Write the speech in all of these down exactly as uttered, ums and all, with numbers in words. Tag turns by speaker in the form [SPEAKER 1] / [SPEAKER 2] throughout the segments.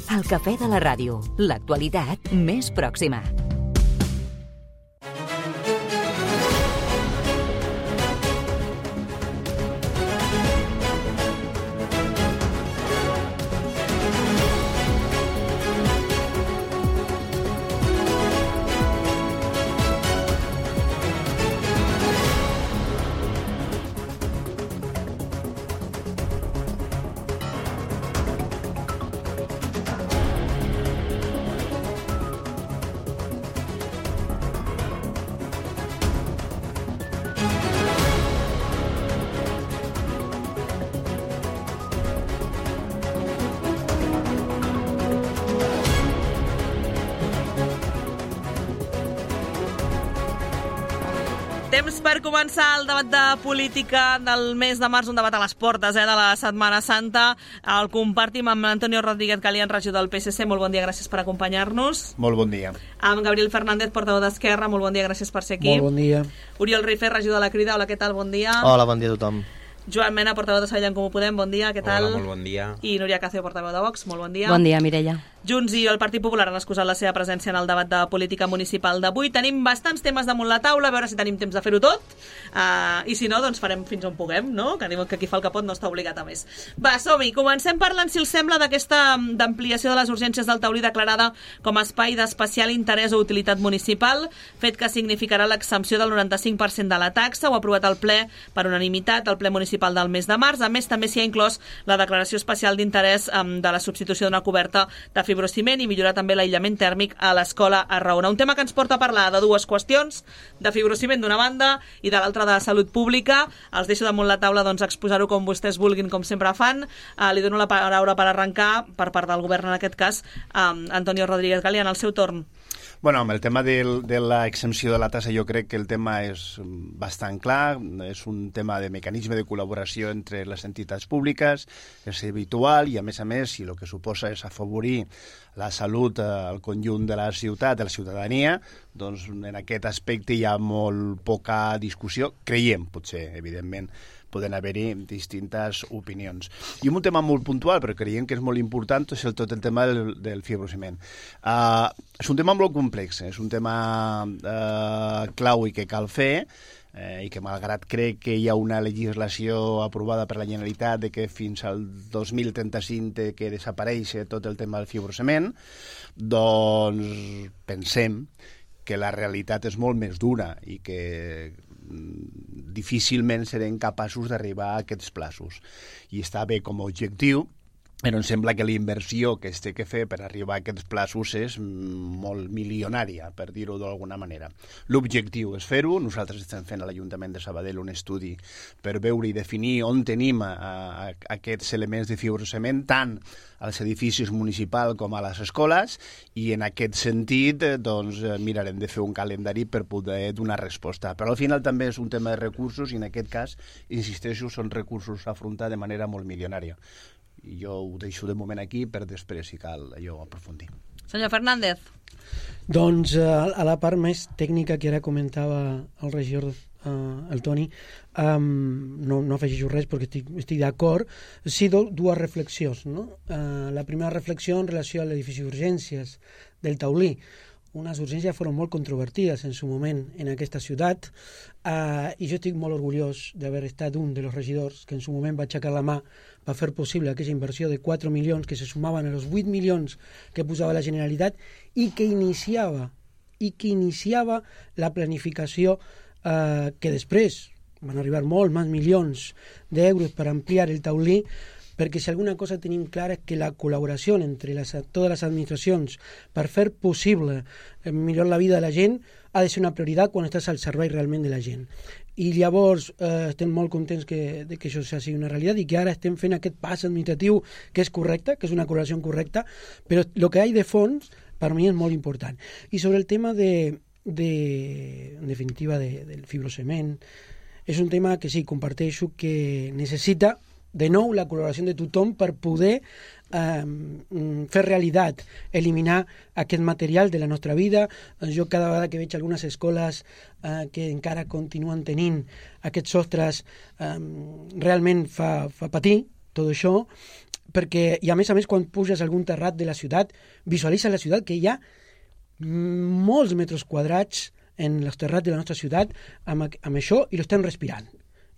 [SPEAKER 1] El cafè de la ràdio, l'actualitat més pròxima.
[SPEAKER 2] Temps per començar el debat de política del mes de març, un debat a les portes eh, de la Setmana Santa. El compartim amb Antonio Rodríguez Calián, regidor del P S C. Molt bon dia, gràcies per acompanyar-nos.
[SPEAKER 3] Molt bon dia.
[SPEAKER 2] Amb Gabriel Fernández, portaveu d'Esquerra. Molt bon dia, gràcies per ser aquí.
[SPEAKER 4] Molt bon dia.
[SPEAKER 2] Oriol Rifé, regidor de la Crida. Hola, què tal? Bon dia.
[SPEAKER 5] Hola, bon dia a tothom.
[SPEAKER 2] Joan Mena, portaveu de Sabadell en Comú Podem. Bon dia, què tal?
[SPEAKER 6] Hola, molt bon dia.
[SPEAKER 2] I Núria Cáceres, portaveu de Vox. Molt bon dia.
[SPEAKER 7] Bon dia, Mireia.
[SPEAKER 2] Junts i el Partit Popular han excusat la seva presència en el debat de política municipal d'avui. Tenim bastants temes damunt la taula, a veure si tenim temps de fer-ho tot. Uh, I si no, doncs farem fins on puguem, no? Que diuen que qui fa el capot no està obligat a més. Va, som-hi. Comencem parlant, si els sembla, d'aquesta d'ampliació de les urgències del Taulí declarada com a espai d'especial interès o utilitat municipal, fet que significarà l'exempció del noranta-cinc per cent de la taxa. Ho ha aprovat el ple per unanimitat, el ple municipal del mes de març. A més, també s'hi ha inclòs la declaració especial d'interès um, de la substitució d'una coberta de fibrociment i millorar també l'aïllament tèrmic a l'escola Arraona. Un tema que ens porta a parlar de dues qüestions, de fibrociment d'una banda i de l'altra de salut pública. Els deixo damunt la taula doncs, exposar-ho com vostès vulguin, com sempre fan. Uh, li dono la paraula per arrencar, per part del govern en aquest cas, um, Antonio Rodríguez Calián, al seu torn.
[SPEAKER 3] Bueno, amb el tema del, de l'exempció de la tassa jo crec que el tema és bastant clar, és un tema de mecanisme de col·laboració entre les entitats públiques, és habitual i a més a més, si el que suposa és afavorir la salut al conjunt de la ciutat, de la ciutadania, doncs en aquest aspecte hi ha molt poca discussió, creiem, potser, evidentment, poden haver-hi distintes opinions. I un tema molt puntual, però creiem que és molt important, és el, tot el tema del, del fibrociment. Uh, és un tema molt complex, és un tema uh, clau i que cal fer, eh, i que malgrat crec que hi ha una legislació aprovada per la Generalitat de que fins al dos mil trenta-cinc té que desaparèixer tot el tema del fibrociment, doncs pensem que la realitat és molt més dura i que difícilment serem capaços d'arribar a aquests plaços. I està bé com a objectiu, però em sembla que la inversió que es té que fer per arribar a aquests plaços és molt milionària, per dir-ho d'alguna manera. L'objectiu és fer-ho. Nosaltres estem fent a l'Ajuntament de Sabadell un estudi per veure i definir on tenim a, a, aquests elements de fibrociment, tant als edificis municipals com a les escoles, i en aquest sentit doncs, mirarem de fer un calendari per poder donar resposta. Però al final també és un tema de recursos i en aquest cas, insisteixo, són recursos a afrontar de manera molt milionària. I jo ho deixo de moment aquí per després, si cal, allò aprofundir.
[SPEAKER 2] Senyor Fernández.
[SPEAKER 4] Doncs a la part més tècnica que ara comentava el regidor, uh, el Toni, um, no, no afegeixo res perquè estic, estic d'acord. Sí, do, dues reflexions. No? Uh, la primera reflexió en relació a l'edifici d'urgències del Taulí. Unes urgències foren molt controvertides en su moment en aquesta ciutat, uh, i jo estic molt orgullós d'haver estat un dels regidors que en su moment va aixecar la mà per fer possible aquesta inversió de quatre milions que se sumaven a els vuit milions que posava la Generalitat i que iniciava i que iniciava la planificació uh, que després van arribar molts més milions d'euros per ampliar el Taulí, perquè si alguna cosa tenim clara és que la col·laboració entre les, totes les administracions per fer possible millorar la vida de la gent ha de ser una prioritat quan estàs al servei realment de la gent. I llavors eh, estem molt contents que, de que això sigui una realitat i que ara estem fent aquest pas administratiu que és correcte, que és una col·laboració correcta, però el que hi ha de fons per mi és molt important. I sobre el tema de, de en definitiva, de, del fibrociment, és un tema que sí, comparteixo que necessita de nou la col·laboració de tothom per poder eh, fer realitat, eliminar aquest material de la nostra vida. Jo cada vegada que veig algunes escoles eh, que encara continuen tenint aquests sostres, eh, realment fa, fa patir, tot això, perquè, i a més a més, quan puges a algun terrat de la ciutat, visualitza la ciutat que hi ha molts metres quadrats en els terrats de la nostra ciutat amb, amb això, i l'estem respirant.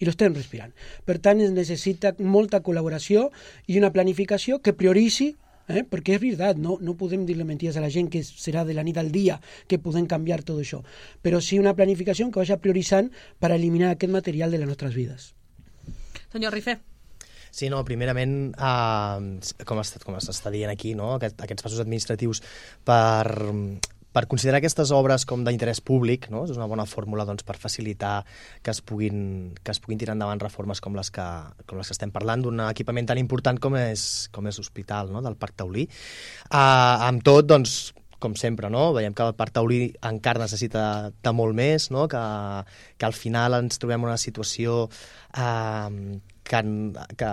[SPEAKER 4] I l'estem respirant. Per tant, es necessita molta col·laboració i una planificació que prioritzi, eh? perquè és veritat, no, no podem dir-li mentides a la gent que serà de la nit al dia que podem canviar tot això, però sí una planificació que vagi prioritzant per eliminar aquest material de les nostres vides.
[SPEAKER 2] Senyor Rifé.
[SPEAKER 5] Sí, no, primerament, eh, com, es, com s'està dient aquí, no? Aquest, aquests passos administratius per, per considerar aquestes obres com d'interès públic, no? És una bona fórmula doncs, per facilitar que es, puguin, que es puguin tirar endavant reformes com les que, com les que estem parlant d'un equipament tan important com és, com és l'hospital, no? Del Parc Taulí. Eh, amb tot, doncs, com sempre, no? Veiem que el Parc Taulí encara necessita de molt més, no? que, que al final ens trobem en una situació eh, que, que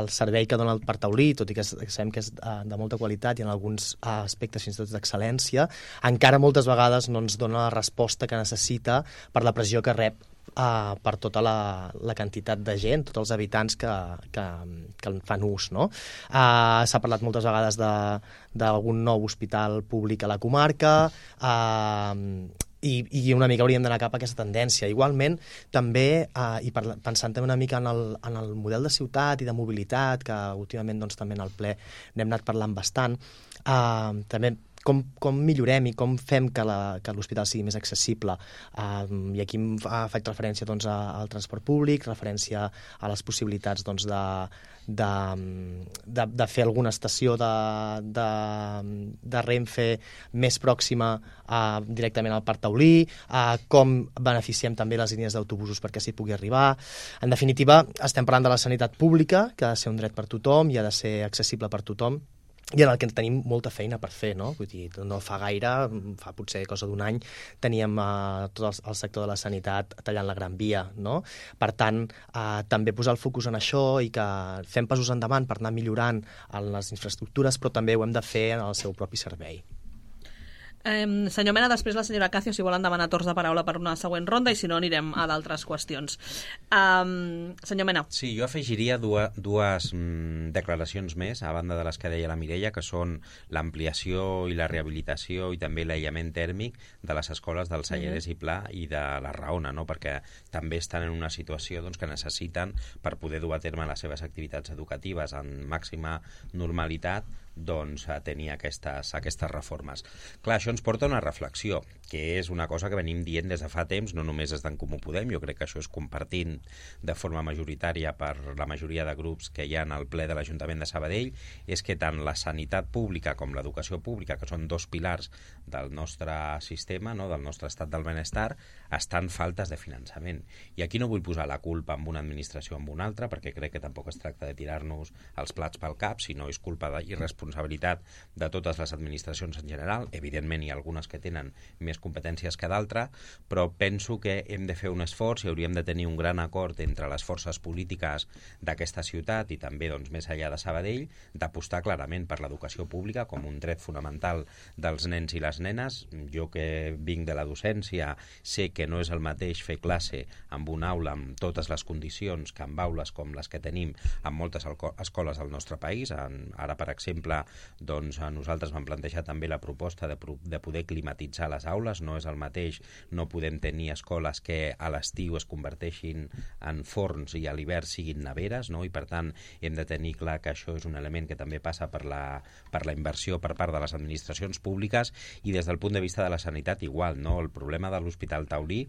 [SPEAKER 5] el servei que dona el Parc Taulí, tot i que sabem que és de molta qualitat i en alguns aspectes fins i tot d'excel·lència, encara moltes vegades no ens dona la resposta que necessita per la pressió que rep Uh, per tota la, la quantitat de gent, tots els habitants que, que, que en fan ús, no? Uh, s'ha parlat moltes vegades d'algun nou hospital públic a la comarca, uh, i, i una mica hauríem d'anar cap a aquesta tendència. Igualment, també, uh, i parla, pensant també una mica en el, en el model de ciutat i de mobilitat, que últimament doncs, també en el ple n'hem anat parlant bastant, uh, també Com, com millorem i com fem que l'hospital sigui més accessible. Uh, I aquí faig referència doncs, a, al transport públic, referència a les possibilitats doncs, de, de, de, de fer alguna estació de, de, de Renfe més pròxima uh, directament al Parc Taulí, uh, com beneficiem també les línies d'autobusos perquè s'hi pugui arribar. En definitiva, estem parlant de la sanitat pública, que ha de ser un dret per tothom i ha de ser accessible per tothom, i en el que tenim molta feina per fer, no? Vull dir, no fa gaire, fa potser cosa d'un any, teníem eh, tot el, el sector de la sanitat tallant la Gran Via, no? Per tant, eh, també posar el focus en això i que fem passos endavant per anar millorant en les infraestructures, però també ho hem de fer en el seu propi servei.
[SPEAKER 2] Eh, senyor Mena, després la senyora Cacio, si volen demanar torns de paraula per una següent ronda, i si no anirem a d'altres qüestions. Um, senyor Mena.
[SPEAKER 6] Sí, jo afegiria dues, dues mm, declaracions més, a banda de les que deia la Mireia, que són l'ampliació i la rehabilitació i també l'aïllament tèrmic de les escoles del Sallarès i Pla i de la Raona, no? Perquè també estan en una situació doncs, que necessiten, per poder dur a terme les seves activitats educatives en màxima normalitat, doncs a tenir aquestes, aquestes reformes. Clar, això ens porta a una reflexió, que és una cosa que venim dient des de fa temps, no només des d'en Comú Podem, jo crec que això és compartint de forma majoritària per la majoria de grups que hi ha en el ple de l'Ajuntament de Sabadell, és que tant la sanitat pública com l'educació pública, que són dos pilars del nostre sistema, no, del nostre estat del benestar, estan faltes de finançament. I aquí no vull posar la culpa amb una administració o amb una altra, perquè crec que tampoc es tracta de tirar-nos els plats pel cap, sinó és culpa d'irresponsabilitat responsabilitat de totes les administracions en general. Evidentment hi ha algunes que tenen més competències que d'altres, però penso que hem de fer un esforç i hauríem de tenir un gran acord entre les forces polítiques d'aquesta ciutat i també doncs, més enllà de Sabadell, d'apostar clarament per l'educació pública com un dret fonamental dels nens i les nenes. Jo que vinc de la docència sé que no és el mateix fer classe amb una aula amb totes les condicions que amb aules com les que tenim en moltes escoles del nostre país. En, ara, per exemple, doncs nosaltres vam plantejar també la proposta de, de poder climatitzar les aules. No és el mateix, no podem tenir escoles que a l'estiu es converteixin en forns i a l'hivern siguin neveres, no? I per tant hem de tenir clar que això és un element que també passa per la, per la inversió per part de les administracions públiques, i des del punt de vista de la sanitat igual, no? El problema de l'Hospital Taulí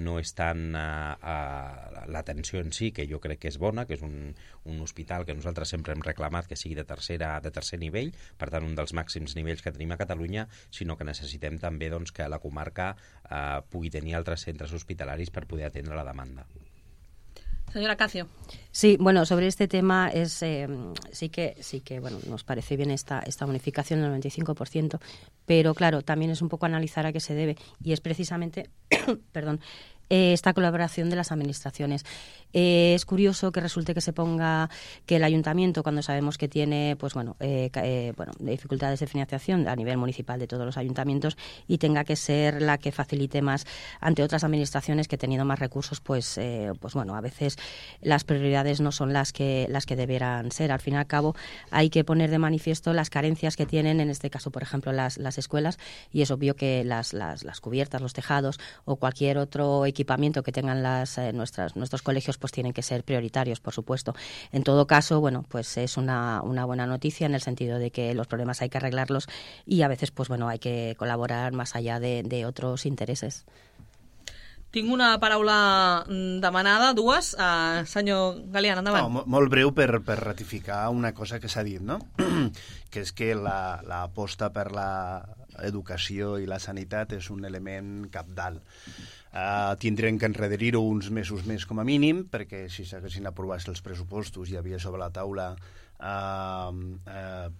[SPEAKER 6] no és tant uh, uh, l'atenció en si, que jo crec que és bona, que és un, un hospital que nosaltres sempre hem reclamat que sigui de tercera, de tercer nivell, per tant un dels màxims nivells que tenim a Catalunya, sinó que necessitem també doncs, que la comarca eh, pugui tenir altres centres hospitalaris per poder atendre la demanda.
[SPEAKER 2] Señora Cacio.
[SPEAKER 7] Sí, bueno, sobre este tema es eh, sí que sí que bueno, nos parece bien esta esta bonificación del noventa y cinco por ciento, pero claro, también es un poco analizar a qué se debe, y es precisamente perdón, eh, esta colaboración de las administraciones. Eh, es curioso que resulte que se ponga que el ayuntamiento, cuando sabemos que tiene pues bueno, eh, eh, bueno, dificultades de financiación a nivel municipal de todos los ayuntamientos, y tenga que ser la que facilite más ante otras administraciones que teniendo más recursos, pues, eh, pues bueno, a veces las prioridades no son las que, las que debieran ser. Al fin y al cabo hay que poner de manifiesto las carencias que tienen, en este caso, por ejemplo, las, las escuelas, y es obvio que las, las, las cubiertas, los tejados o cualquier otro equipamiento que tengan las, eh, nuestras, nuestros colegios, pues tienen que ser prioritarios, por supuesto. En todo caso, bueno, pues es una, una buena noticia en el sentido de que los problemas hay que arreglarlos y a veces, pues bueno, hay que colaborar más allá de, de otros intereses.
[SPEAKER 2] Tinc una paraula demanada, dues. Uh, senyor Galián, endavant.
[SPEAKER 3] No, molt breu per, per ratificar una cosa que s'ha dit, no? Que és que l'aposta la, per l'educació i la sanitat és un element cabdal. Uh, tindrem que enrederir-ho uns mesos més com a mínim, perquè si s'haguessin aprovat els pressupostos hi havia sobre la taula uh, uh,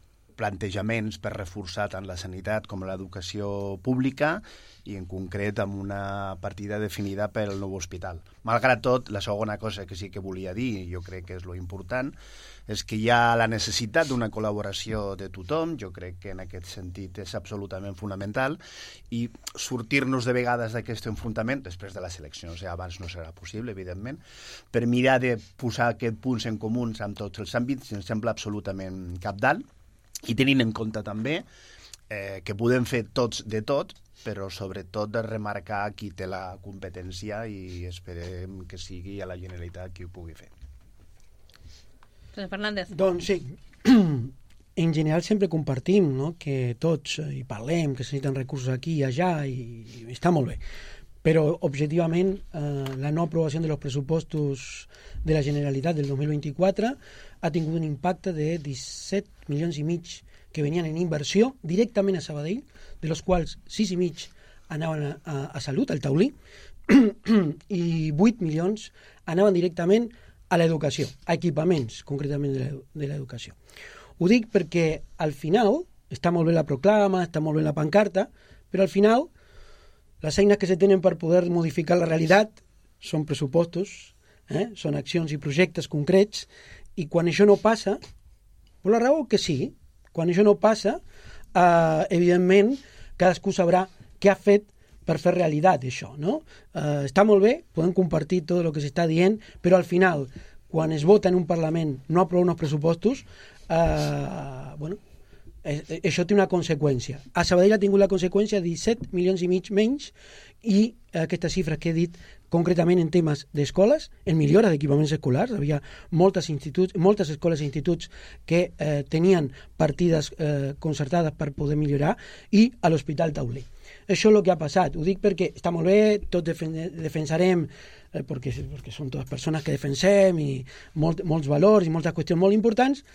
[SPEAKER 3] plantejaments per reforçar tant la sanitat com l'educació pública i en concret amb una partida definida pel nou hospital. Malgrat tot, la segona cosa que sí que volia dir, jo crec que és lo important, és que hi ha la necessitat d'una col·laboració de tothom, jo crec que en aquest sentit és absolutament fonamental, i sortir-nos de vegades d'aquest enfrontament, després de les eleccions, eh, abans no serà possible, evidentment, per mirar de posar aquests punts en comuns amb tots els àmbits, em sembla absolutament cabdal, i tenint en compte també eh, que podem fer tots de tot, però sobretot de remarcar qui té la competència i esperem que sigui a la Generalitat qui ho pugui fer.
[SPEAKER 2] Senyor Fernández.
[SPEAKER 4] Doncs sí, en general sempre compartim, no?, que tots hi parlem, que se necessiten recursos aquí i allà, i, i està molt bé. Però, objectivament, eh, la no aprovació de los pressupostos de la Generalitat del dos mil vint-i-quatre ha tingut un impacte de disset milions i mig que venien en inversió directament a Sabadell, de los quals sis i mig anaven a, a, a salut, al taulí, i vuit milions anaven directament a l'educació, a equipaments, concretament de l'educació. Ho dic perquè, al final, està molt bé la proclama, està molt bé la pancarta, però al final les eines que se tenen per poder modificar la realitat són pressupostos, eh? són accions i projectes concrets, i quan això no passa, per la raó que sí, quan això no passa, eh, evidentment, cadascú sabrà què ha fet per fer realitat això, no? Eh, està molt bé, podem compartir tot el que s'està dient, però al final, quan es vota en un Parlament no aprovar uns pressupostos, eh, bueno, eh, això té una conseqüència. A Sabadell ha tingut la conseqüència de disset milions i mig menys, i aquestes xifres que he dit concretament en temes d'escoles, en millora d'equipaments escolars. Havia moltes, instituts, moltes escoles i instituts que eh, tenien partides eh, concertades per poder millorar, i a l'Hospital Taulí. Això és el que ha passat. Ho dic perquè està molt bé, tots defen defensarem, eh, perquè, perquè són totes persones que defensem, i molt, molts valors i moltes qüestions molt importants,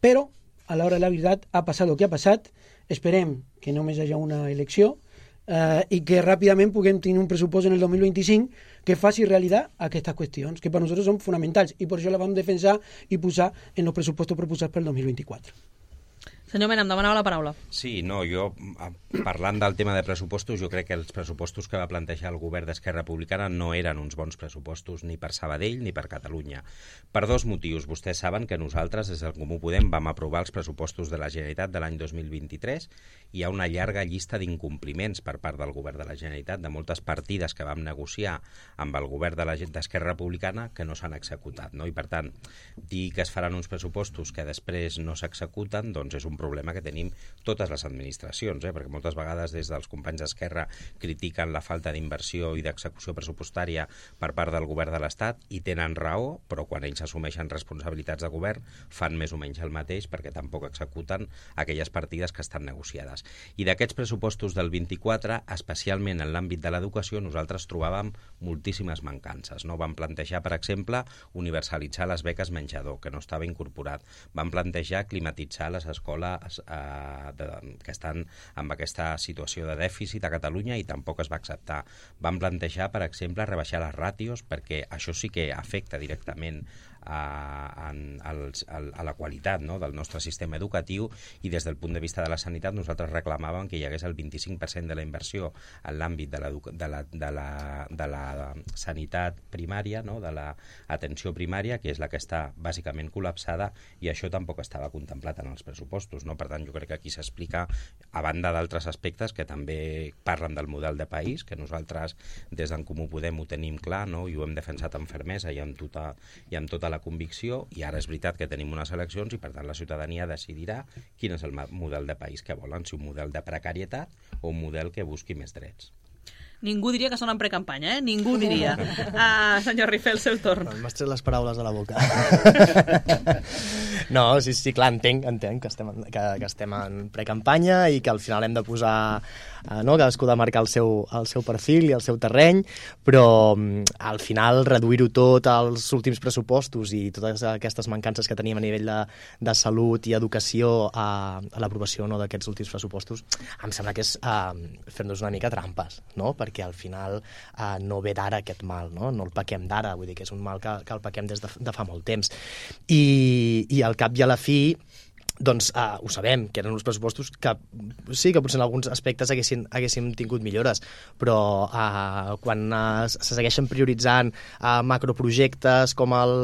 [SPEAKER 4] però a l'hora de la veritat ha passat el que ha passat. Esperem que només hi hagi una elecció, Uh, i que ràpidament puguem tenir un pressupost en el dos mil vint-i-cinc que faci realitat aquestes qüestions, que per nosaltres són fonamentals, i per això la vam defensar i posar en els pressupostos proposats pel dos mil vint-i-quatre.
[SPEAKER 2] Senyor Mena, em demanava la paraula.
[SPEAKER 6] Sí, no, jo, parlant del tema de pressupostos, jo crec que els pressupostos que va plantejar el govern d'Esquerra Republicana no eren uns bons pressupostos ni per Sabadell ni per Catalunya. Per dos motius. Vostès saben que nosaltres, des del Comú Podem, vam aprovar els pressupostos de la Generalitat de l'any dos mil vint-i-tres. Hi ha una llarga llista d'incompliments per part del govern de la Generalitat, de moltes partides que vam negociar amb el govern d'Esquerra Republicana que no s'han executat, no? I, per tant, dir que es faran uns pressupostos que després no s'executen, doncs és un problema que tenim totes les administracions, eh? Perquè moltes vegades des dels companys d'Esquerra critiquen la falta d'inversió i d'execució pressupostària per part del govern de l'Estat, i tenen raó, però quan ells assumeixen responsabilitats de govern fan més o menys el mateix, perquè tampoc executen aquelles partides que estan negociades. I d'aquests pressupostos del vint-i-quatre, especialment en l'àmbit de l'educació, nosaltres trobàvem moltíssimes mancances, no? Vam plantejar, per exemple, universalitzar les beques menjador, que no estava incorporat. Vam plantejar climatitzar les escoles eh, de, que estan amb aquesta situació de dèficit a Catalunya, i tampoc es va acceptar. Vam plantejar, per exemple, rebaixar les ràtios, perquè això sí que afecta directament a, en, als, a, a la qualitat, no?, del nostre sistema educatiu, i des del punt de vista de la sanitat nosaltres reclamàvem que hi hagués el vint-i-cinc per cent de la inversió en l'àmbit de, de, la, de, la, de la sanitat primària, no?, de l'atenció primària, que és la que està bàsicament col·lapsada, i això tampoc estava contemplat en els pressupostos, no? Per tant, jo crec que aquí s'explica, a banda d'altres aspectes que també parlen del model de país, que nosaltres des d'en Comú Podem ho tenim clar, no?, i ho hem defensat amb fermesa i amb tota, i amb tota la convicció, i ara és veritat que tenim unes eleccions i per tant la ciutadania decidirà quin és el model de país que volen, si un model de precarietat o un model que busqui més drets.
[SPEAKER 2] Ningú diria que són en precampanya, eh? Ningú diria. Uh, senyor Rifé, el seu torn.
[SPEAKER 5] M'has tret les paraules de la boca. No, sí, sí, clar, entenc, entenc que estem, que, que estem en precampanya i que al final hem de posar, eh, no?, cadascú de marcar el seu, el seu perfil i el seu terreny, però al final reduir-ho tot als últims pressupostos i totes aquestes mancances que tenim a nivell de, de salut i educació a, a l'aprovació, no?, d'aquests últims pressupostos, em sembla que és eh, fer-nos una mica trampes, no?, perquè al final eh, no ve d'ara aquest mal, no?, no el paquem d'ara, vull dir que és un mal que, que el paquem des de, de fa molt temps. I, i al cap i a la fi, doncs uh, ho sabem, que eren uns pressupostos que sí que potser en alguns aspectes haguessin, haguéssim tingut millores, però uh, quan uh, se segueixen prioritzant uh, macroprojectes com, el,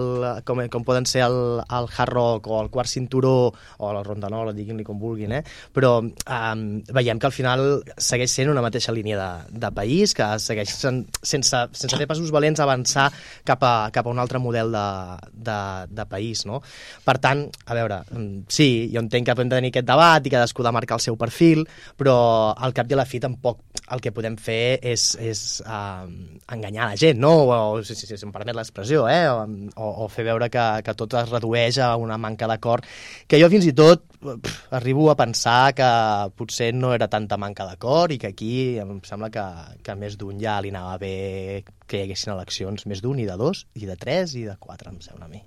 [SPEAKER 5] com, com poden ser el, el Hard Rock o el Quart Cinturó o la Ronda Nord, diguin-li com vulguin, eh? Però um, veiem que al final segueix sent una mateixa línia de, de país, que segueix sen, sense, sense fer passos valents avançar cap a, cap a un altre model de, de, de país, no? Per tant, a veure, sí, jo entenc que hem de tenir aquest debat i cadascú de marcar el seu perfil, però al cap i a la fi tampoc el que podem fer és, és uh, enganyar la gent, no? O, si, si, si em permet l'expressió, eh? O, o, o fer veure que, que tot es redueix a una manca d'acord, que jo fins i tot pff, arribo a pensar que potser no era tanta manca d'acord i que aquí em sembla que, que més d'un ja li anava bé que hi haguessin eleccions, més d'un i de dos, i de tres i de quatre, em sembla a mi.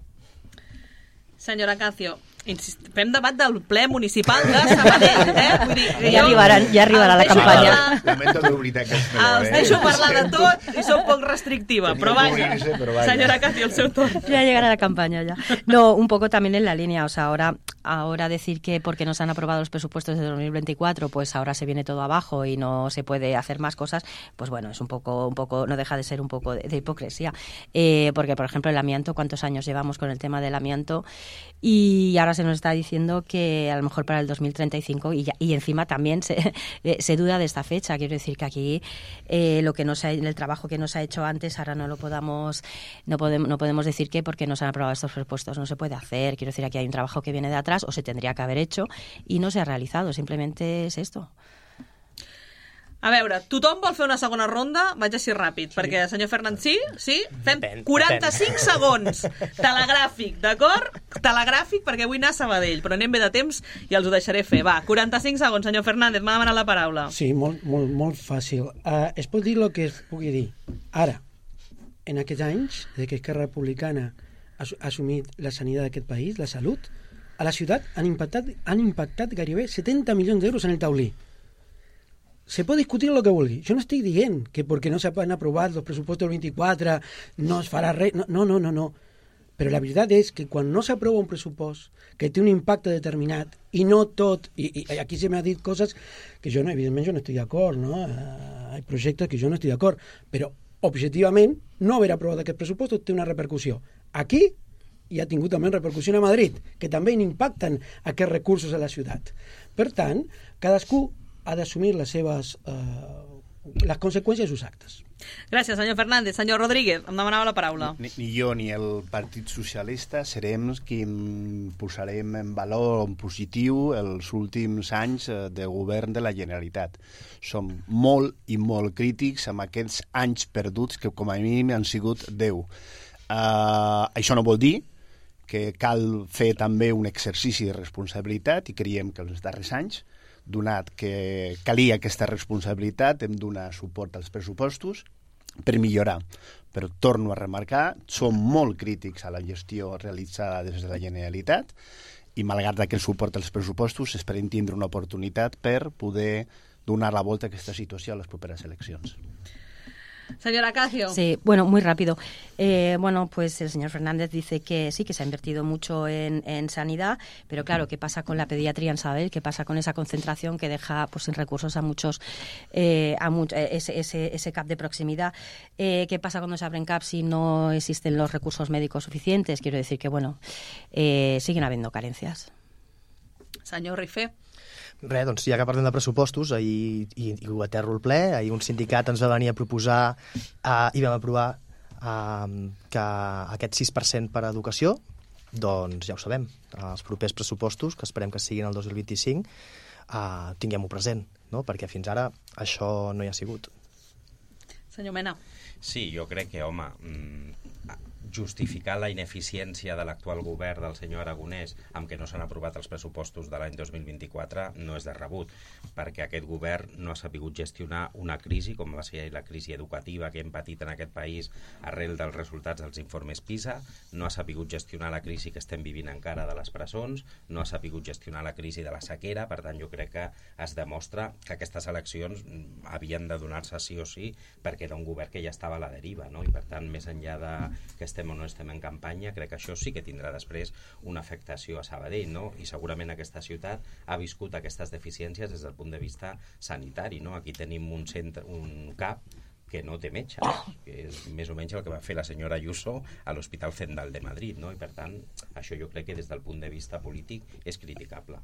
[SPEAKER 2] Senyora Acacio, insist... fem debat del ple municipal de Sabadell, eh? Vull dir,
[SPEAKER 7] ja, arribaran, ja arribarà la campanya.
[SPEAKER 3] Lamento de veritat que és meu,
[SPEAKER 2] els
[SPEAKER 3] eh?
[SPEAKER 2] deixo parlar de tot i soc poc restrictiva, però vaja.
[SPEAKER 3] pero vaya.
[SPEAKER 2] Señora Acacio, el seu torn.
[SPEAKER 7] Ya llegará la campaña ya. No, un poco también en la línea, o sea, ahora, ahora decir que porque no se han aprobado los presupuestos de dos mil veinticuatro, pues ahora se viene todo abajo y no se puede hacer más cosas, pues bueno, es un poco, un poco, no deja de ser un poco de, de hipocresía. Eh, porque, por ejemplo, el amianto, ¿cuántos años llevamos con el tema del amianto? Y ahora se nos está diciendo que a lo mejor para el dos mil treinta y cinco, y, ya, y encima también se, se duda de esta fecha. Quiero decir que aquí eh, lo que no se ha, el trabajo que no se ha hecho antes, ahora no lo podamos, no podemos, no podemos decir que porque no se han aprobado estos presupuestos no se puede hacer. Quiero decir, aquí hay un trabajo que viene de atrás o se tendría que haber hecho y no se ha realizado. Simplemente es esto.
[SPEAKER 2] A veure, tothom vol fer una segona ronda? Vaig així ràpid, sí. Perquè, senyor Fernández, sí? Sí? Fem
[SPEAKER 5] depèn,
[SPEAKER 2] quaranta-cinc
[SPEAKER 5] depèn.
[SPEAKER 2] segons. Telegràfic, d'acord? Telegràfic, perquè vull anar a Sabadell, però anem bé de temps i els ho deixaré fer. Va, quaranta-cinc segons, senyor Fernández, m'ha demanat la paraula.
[SPEAKER 4] Sí, molt, molt, molt fàcil. Uh, es pot dir el que es pugui dir. Ara, en aquests anys, des que Esquerra Republicana ha assumit la sanitat d'aquest país, la salut, a la ciutat han impactat, han impactat gairebé setenta milions d'euros en el taulí. Se pot discutir el que vulgui. Jo no estic dient que perquè no s'han aprovat els pressupostos del vint-i-quatre no es farà res. No, no, no, no. Però la veritat és que quan no s'aprova un pressupost que té un impacte determinat i no tot, i, i aquí se m'ha dit coses que jo no, evidentment jo no estic d'acord, no? Uh, hi ha projectes que jo no estic d'acord, però objectivament no haver aprovat aquest pressupost té una repercussió. Aquí i ha tingut també repercussió a Madrid, que també impacten aquests recursos a la ciutat. Per tant, cadascú ha d'assumir les seves eh, les conseqüències dels actes.
[SPEAKER 2] Gràcies, senyor Fernández. Senyor Rodríguez, em demanava la paraula.
[SPEAKER 3] Ni, ni jo ni el Partit Socialista serem qui posarem en valor en positiu els últims anys de govern de la Generalitat. Som molt i molt crítics amb aquests anys perduts que com a mínim han sigut deu. Uh, això no vol dir que cal fer també un exercici de responsabilitat i creiem que els darrers anys, donat que calia aquesta responsabilitat, hem donat suport als pressupostos per millorar. Però torno a remarcar, som molt crítics a la gestió realitzada des de la Generalitat i malgrat aquest suport als pressupostos esperem tindre una oportunitat per poder donar la volta a aquesta situació a les properes eleccions.
[SPEAKER 2] Señora Cacio.
[SPEAKER 7] Sí, bueno, muy rápido. Eh, bueno, pues el señor Fernández dice que sí, que se ha invertido mucho en, en sanidad, pero claro, ¿qué pasa con la pediatría en Sabadell? ¿Qué pasa con esa concentración que deja pues sin recursos a muchos, eh, a much, ese, ese, ese C A P de proximidad? Eh, ¿Qué pasa cuando se abren C A P si no existen los recursos médicos suficientes? Quiero decir que, bueno, eh, siguen habiendo carencias.
[SPEAKER 2] Senyor Rifé.
[SPEAKER 5] Res, doncs ja que parlem de pressupostos, ahir, i, i ho aterro al ple, ahir un sindicat ens va venir a proposar uh, i vam aprovar uh, que aquest sis per cent per a educació, doncs ja ho sabem, els propers pressupostos, que esperem que siguin el dos mil vint-i-cinc, uh, tinguem-ho present, no? Perquè fins ara això no hi ha sigut.
[SPEAKER 2] Senyor Mena.
[SPEAKER 6] Sí, jo crec que, home, justificar la ineficiència de l'actual govern del senyor Aragonès amb que no s'han aprovat els pressupostos de l'any dos mil vint-i-quatre no és de rebut, perquè aquest govern no ha sabut gestionar una crisi, com va ser la crisi educativa que hem patit en aquest país arrel dels resultats dels informes PISA, no ha sabut gestionar la crisi que estem vivint encara de les presons, no ha sabut gestionar la crisi de la sequera. Per tant, jo crec que es demostra que aquestes eleccions havien de donar-se sí o sí, perquè era un govern que ja estava a la deriva, no? I per tant, més enllà de que estem o no estem en campanya, crec que això sí que tindrà després una afectació a Sabadell, no? I segurament aquesta ciutat ha viscut aquestes deficiències des del punt de vista sanitari, no? Aquí tenim un centre, un C A P que no té metge, que és més o menys el que va fer la senyora Ayuso a l'Hospital Zendal de Madrid, no? I per tant, això jo crec que des del punt de vista polític és criticable.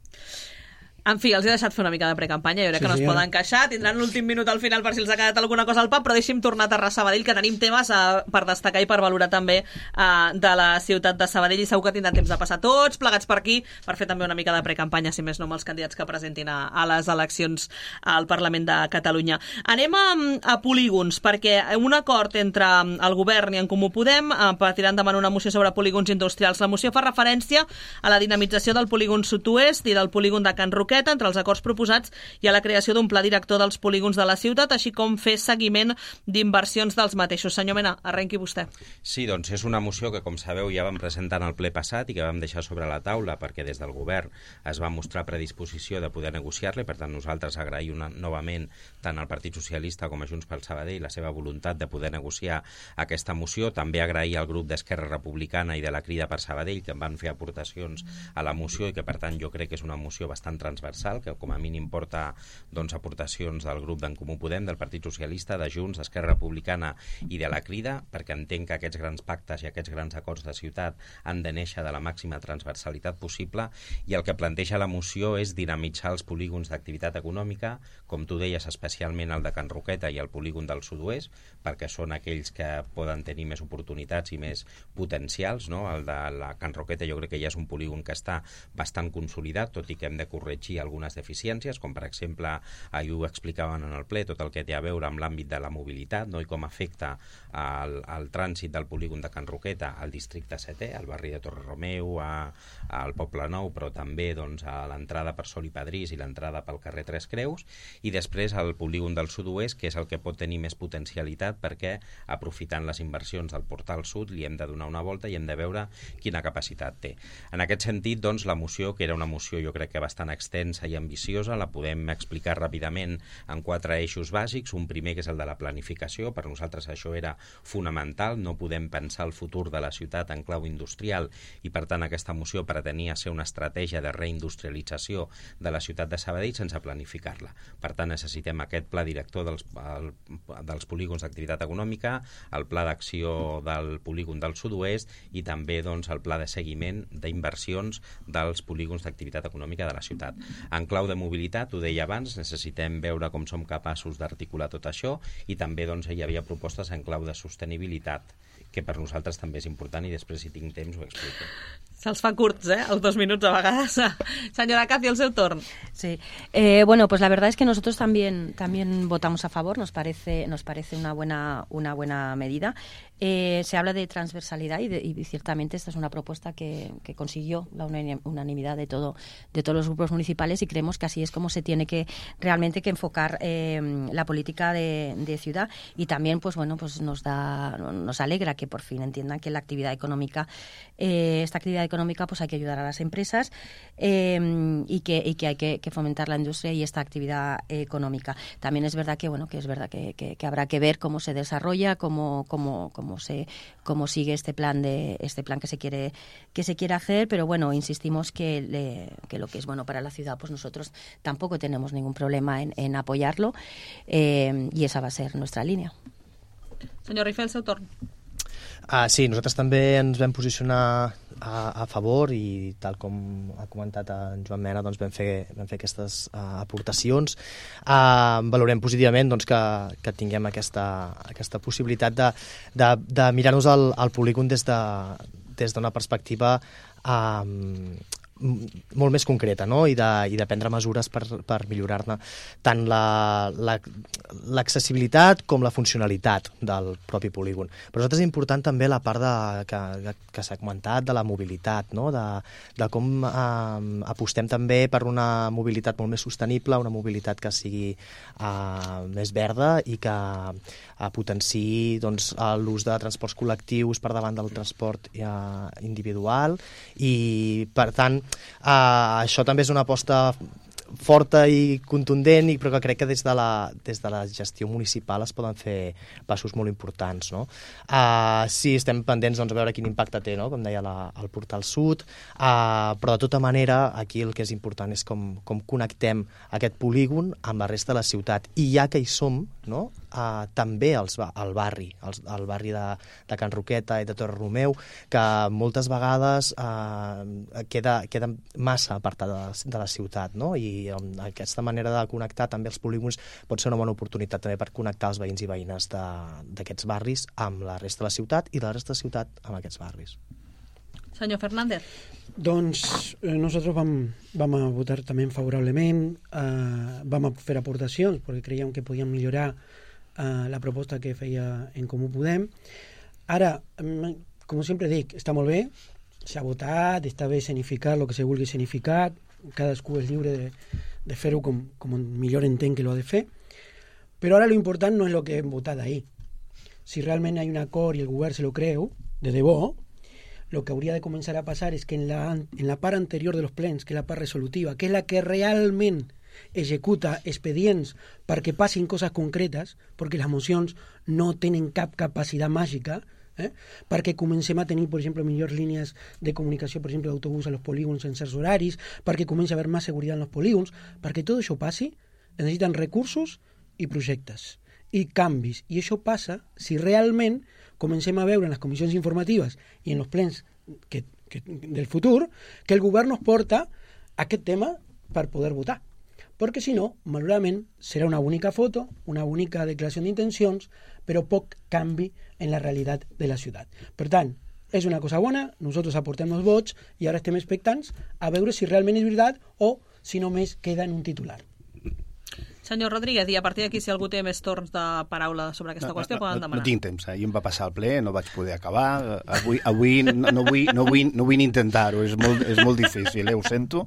[SPEAKER 2] En fi, els he deixat fer una mica de precampanya, jo crec sí, que no sí, es poden queixar, tindran l'últim minut al final per si els ha quedat alguna cosa al pap, però deixi'm tornar a aterrar a Sabadell, que tenim temes uh, per destacar i per valorar també uh, de la ciutat de Sabadell, i segur que tindran temps de passar tots plegats per aquí per fer també una mica de precampanya, si més no, amb els candidats que presentin a, a les eleccions al Parlament de Catalunya. Anem a, a polígons, perquè un acord entre el govern i en Comú Podem uh, per tirar endavant una moció sobre polígons industrials. La moció fa referència a la dinamització del polígon sud-oest i del polígon de Can Roquet, entre els acords proposats i a la creació d'un pla director dels polígons de la ciutat, així com fer seguiment d'inversions dels mateixos. Senyor Mena, arrenqui vostè.
[SPEAKER 6] Sí, doncs és una moció que, com sabeu, ja vam presentar en el ple passat i que vam deixar sobre la taula perquè des del govern es va mostrar predisposició de poder negociar-la, i per tant nosaltres agraïm una, novament tant al Partit Socialista com a Junts pel Sabadell la seva voluntat de poder negociar aquesta moció. També agrair al grup d'Esquerra Republicana i de la Crida per Sabadell, que em van fer aportacions a la moció i que per tant jo crec que és una moció bastant transversal, que com a mínim porta doncs, aportacions del grup d'en Comú Podem, del Partit Socialista, de Junts, d'Esquerra Republicana i de la Crida, perquè entenc que aquests grans pactes i aquests grans acords de ciutat han de néixer de la màxima transversalitat possible, i el que planteja la moció és dinamitzar els polígons d'activitat econòmica, com tu deies, especialment el de Can Roqueta i el polígon del sud-oest, perquè són aquells que poden tenir més oportunitats i més potencials, no? El de la Can Roqueta jo crec que ja és un polígon que està bastant consolidat, tot i que hem de corregir algunes deficiències, com per exemple, ahir ho explicaven en el ple, tot el que té a veure amb l'àmbit de la mobilitat, no? I com afecta el, el trànsit del polígon de Can Roqueta al districte setè, al barri de Torre Romeu, a, al Poble Nou, però també doncs, a l'entrada per Sol i Padrís i l'entrada pel carrer Tres Creus, i després el polígon del sud-oest, que és el que pot tenir més potencialitat, perquè aprofitant les inversions del Portal Sud li hem de donar una volta i hem de veure quina capacitat té. En aquest sentit, doncs, la moció, que era una moció jo crec que bastant extensa i ambiciosa, la podem explicar ràpidament en quatre eixos bàsics. Un primer, que és el de la planificació. Per nosaltres això era fonamental. No podem pensar el futur de la ciutat en clau industrial i, per tant, aquesta moció pretenia ser una estratègia de reindustrialització de la ciutat de Sabadell sense planificar-la. Per tant, necessitem aquest pla director dels, el, dels polígons d'activitat econòmica, el pla d'acció del polígon del sud-oest i també doncs, el pla de seguiment d'inversions dels polígons d'activitat econòmica de la ciutat. En clau de mobilitat, ho deia abans, necessitem veure com som capaços d'articular tot això, i també doncs, hi havia propostes en clau de sostenibilitat, que per nosaltres també és important, i després, si tinc temps, ho explico.
[SPEAKER 2] Se'ls fa curts, ¿eh? Els dos minutos a vegades. Señora Cacio, el seu torn.
[SPEAKER 7] Sí. Eh, bueno, pues la verdad es que nosotros también, también votamos a favor. Nos parece, nos parece una buena, una buena medida. Eh, se habla de transversalidad y, de, y ciertamente esta es una propuesta que, que consiguió la unanimidad de todo, de todos los grupos municipales, y creemos que así es como se tiene que realmente que enfocar eh, la política de, de ciudad. Y también, pues bueno, pues nos da, nos alegra que por fin entiendan que la actividad económica, eh, esta actividad económica, pues hay que ayudar a las empresas eh, y, que, y que hay que, que fomentar la industria y esta actividad eh, económica. También es verdad que, bueno, que es verdad que, que, que habrá que ver cómo se desarrolla, cómo, cómo, cómo se cómo sigue este plan de este plan que se quiere que se quiere hacer, pero bueno, insistimos que, le, que lo que es bueno para la ciudad, pues nosotros tampoco tenemos ningún problema en, en apoyarlo eh, y esa va a ser nuestra línea.
[SPEAKER 2] Senyor Rifé, el seu torn.
[SPEAKER 5] Ah, sí, nosaltres també ens vam posicionar a, a favor i tal com ha comentat en Joan Mena, doncs vam fer, vam fer aquestes uh, aportacions. Uh, valorem positivament doncs, que, que tinguem aquesta, aquesta possibilitat de, de, de mirar-nos el, el polígon des de, des d'una perspectiva uh, molt més concreta, no? I, de, i de prendre mesures per, per millorar-ne tant la, la, l'accessibilitat com la funcionalitat del propi polígon. Però nosaltres és important també la part de, que, que s'ha comentat de la mobilitat, no? de, de com eh, apostem també per una mobilitat molt més sostenible, una mobilitat que sigui eh, més verda i que eh, potenciï doncs, l'ús de transports col·lectius per davant del transport eh, individual i, per tant, Uh, això també és una aposta forta i contundent, però que crec que des de la, des de la gestió municipal es poden fer passos molt importants, no? Uh, sí, estem pendents doncs, a veure quin impacte té, no? Com deia la, el Portal Sud, uh, però de tota manera aquí el que és important és com, com connectem aquest polígon amb la resta de la ciutat, i ja que hi som, no? Uh, també els, el barri, els, el barri de, de Can Roqueta i de Torre Romeu, que moltes vegades uh, queda, queda massa apartat de, de la ciutat, no? I um, aquesta manera de connectar també els polígons pot ser una bona oportunitat també per connectar els veïns i veïnes d'aquests barris amb la resta de la ciutat i de la resta de la ciutat amb aquests barris.
[SPEAKER 2] Senyor Fernández.
[SPEAKER 4] Doncs eh, nosaltres vam, vam a votar també favorablement, eh, vam a fer aportacions perquè creiem que podíem millorar eh, la proposta que feia En Comú Podem. Ara, com sempre dic, està molt bé, s'ha votat, està bé escenificar el que se vulgui escenificar, cadascú és lliure de, de fer-ho com, com millor entén que lo ha de fer, però ara lo important no és el que hem votat ahir. Si realment hi ha un acord i el govern se lo creu, de debò, lo que hauria de començar a passar és que en la, en la part anterior de los plens, que és la part resolutiva, que és la que realment executa expedients perquè passin coses concretes, perquè les mocions no tenen cap capacitat màgica, eh? perquè comencem a tenir, per exemple, millors línies de comunicació, per exemple, d'autobús a los polígons en certs horaris, perquè comença a haver més seguretat en los polígons, perquè tot això passi, necessiten recursos i projectes i canvis, i això passa si realment comencem a veure en les comissions informatives i en els plens que, que, del futur que el govern nos porta aquest tema per poder votar. Perquè si no, malauradament, serà una bonica foto, una bonica declaració d'intencions, però poc canvi en la realitat de la ciutat. Per tant, és una cosa bona, nosaltres aportem els vots i ara estem expectants a veure si realment és veritat o si només queda en un titular.
[SPEAKER 2] Senyor Rodríguez, i a partir d'aquí, si algú té més torns de paraula sobre aquesta
[SPEAKER 3] no,
[SPEAKER 2] qüestió,
[SPEAKER 3] no,
[SPEAKER 2] poden
[SPEAKER 3] no,
[SPEAKER 2] demanar.
[SPEAKER 3] No tinc temps, ahir em va passar el ple, no vaig poder acabar, avui, avui no, no, vull, no, vull, no vull intentar-ho, és molt, és molt difícil, eh? Ho sento,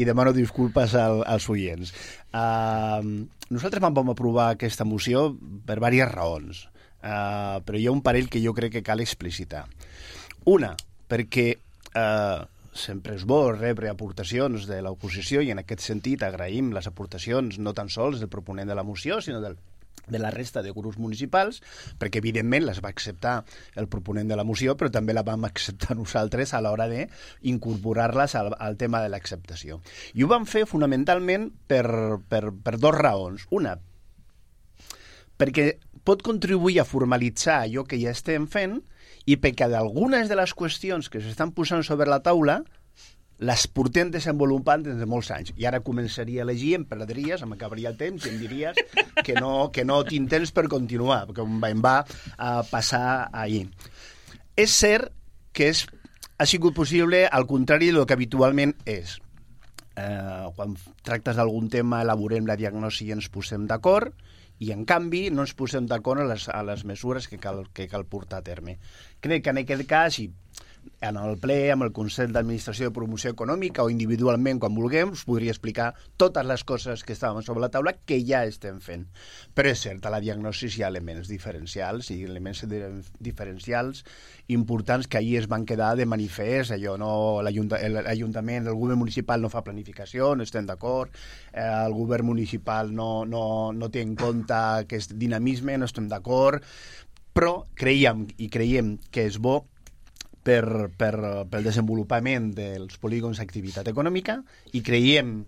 [SPEAKER 3] i demano disculpes al, als oients. Uh, nosaltres vam aprovar aquesta moció per diverses raons, uh, però hi ha un parell que jo crec que cal explicitar. Una, perquè uh, sempre és bo rebre aportacions de l'oposició i en aquest sentit agraïm les aportacions no tan sols del proponent de la moció, sinó del, de la resta de grups municipals, perquè evidentment les va acceptar el proponent de la moció, però també la vam acceptar nosaltres a l'hora d'incorporar-les al, al tema de l'acceptació. I ho vam fer fonamentalment per, per, per dues raons. Una, perquè pot contribuir a formalitzar allò que ja estem fent i perquè d'algunes de les qüestions que s'estan posant sobre la taula les portem desenvolupant des de molts anys. I ara començaria a llegir, em perdries, em acabaria el temps i em diries que no, que no tinc temps per continuar, perquè em va uh, passar ahir. És cert que és, ha sigut possible al contrari del que habitualment és. Uh, quan tractes d'algun tema elaborem la diagnosi i ens posem d'acord, i en canvi no ens posem d'acord a les, a les mesures que cal, que cal portar a terme. Crec que en aquest cas, i en el ple, amb el Consell d'Administració de Promoció Econòmica o individualment, quan vulguem, us podria explicar totes les coses que estaven sobre la taula que ja estem fent. Però és cert, a la diagnosi hi ha elements diferencials i elements diferencials importants que ahir es van quedar de manifest. Allò, no, l'Ajuntament, el govern municipal no fa planificació, no estem d'acord, eh, el govern municipal no, no, no té en compte aquest dinamisme, no estem d'acord, però creiem i creiem que és bo per, per, pel desenvolupament dels polígons d'activitat econòmica i creiem,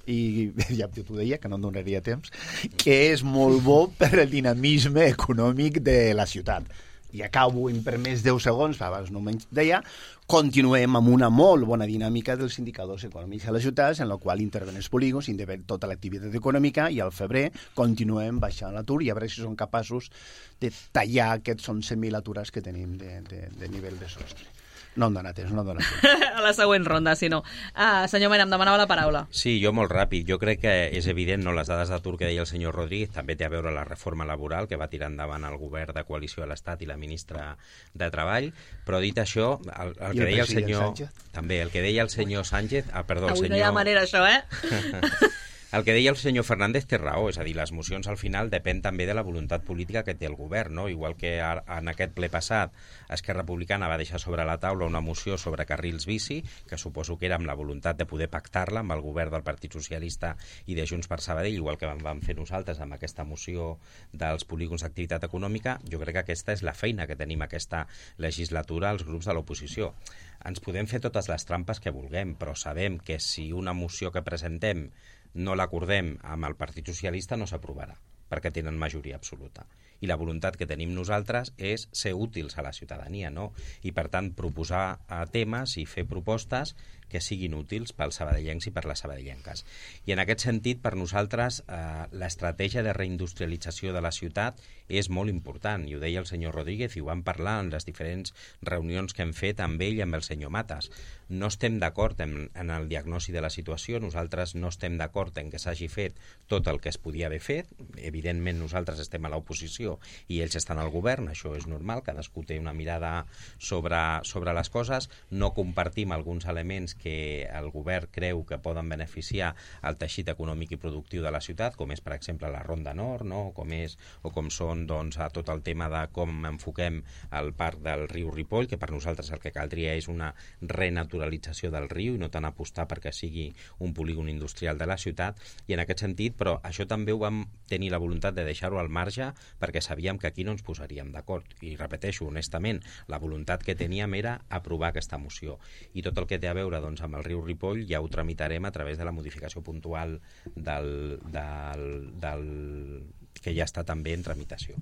[SPEAKER 3] i ja t'ho deia, que no em donaria temps, que és molt bo per el dinamisme econòmic de la ciutat. I acabo en per més deu segons, abans no menys deia, continuem amb una molt bona dinàmica dels indicadors econòmics a les ciutats, en la qual intervenen els polígons, intervenen tota l'activitat econòmica, i al febrer continuem baixant l'atur i a veure si som capaços de tallar aquests onze mil aturats que tenim de, de, de nivell de sostre. No em dona temps, no em dona temps.
[SPEAKER 2] A la següent ronda, si no. Ah, senyor Mena, em demanava la paraula.
[SPEAKER 6] Sí, jo molt ràpid. Jo crec que és evident, no, les dades d'atur que deia el senyor Rodríguez, també té a veure la reforma laboral que va tirar endavant el govern de coalició a l'Estat i la ministra de Treball, però dit això, el, el que el deia el senyor... Sánchez? També, el que deia el senyor Sánchez... Ah, perdó, el
[SPEAKER 2] Avui
[SPEAKER 6] senyor...
[SPEAKER 2] no hi ha manera, això, eh?
[SPEAKER 6] El que deia el senyor Fernández té raó, és a dir, les mocions al final depèn també de la voluntat política que té el govern, no? Igual que en aquest ple passat Esquerra Republicana va deixar sobre la taula una moció sobre carrils bici, que suposo que era amb la voluntat de poder pactar-la amb el govern del Partit Socialista i de Junts per Sabadell, igual que vam fer nosaltres amb aquesta moció dels polígons d'activitat econòmica. Jo crec que aquesta és la feina que tenim aquesta legislatura els grups de l'oposició. Ens podem fer totes les trampes que vulguem, però sabem que si una moció que presentem no l'acordem amb el Partit Socialista no s'aprovarà, perquè tenen majoria absoluta. I la voluntat que tenim nosaltres és ser útils a la ciutadania, no? I per tant proposar uh, temes i fer propostes que siguin útils pels sabadellencs i per les sabadellenques. I en aquest sentit, per nosaltres, eh, l'estratègia de reindustrialització de la ciutat és molt important, i ho deia el senyor Rodríguez, i ho vam parlar en les diferents reunions que hem fet amb ell i amb el senyor Matas. No estem d'acord en, en el diagnosi de la situació, nosaltres no estem d'acord en que s'hagi fet tot el que es podia haver fet, evidentment nosaltres estem a l'oposició i ells estan al govern, això és normal, cadascú té una mirada sobre, sobre les coses, no compartim alguns elements que el govern creu que poden beneficiar el teixit econòmic i productiu de la ciutat, com és, per exemple, la Ronda Nord, no? com és, o com són doncs, a tot el tema de com enfoquem el parc del riu Ripoll, que per nosaltres el que caldria és una renaturalització del riu i no tant apostar perquè sigui un polígon industrial de la ciutat, i en aquest sentit, però això també ho vam tenir la voluntat de deixar-ho al marge perquè sabíem que aquí no ens posaríem d'acord. I repeteixo, honestament, la voluntat que teníem era aprovar aquesta moció. I tot el que té a veure doncs, amb el riu Ripoll ja ho tramitarem a través de la modificació puntual del, del, del que ja està també en tramitació.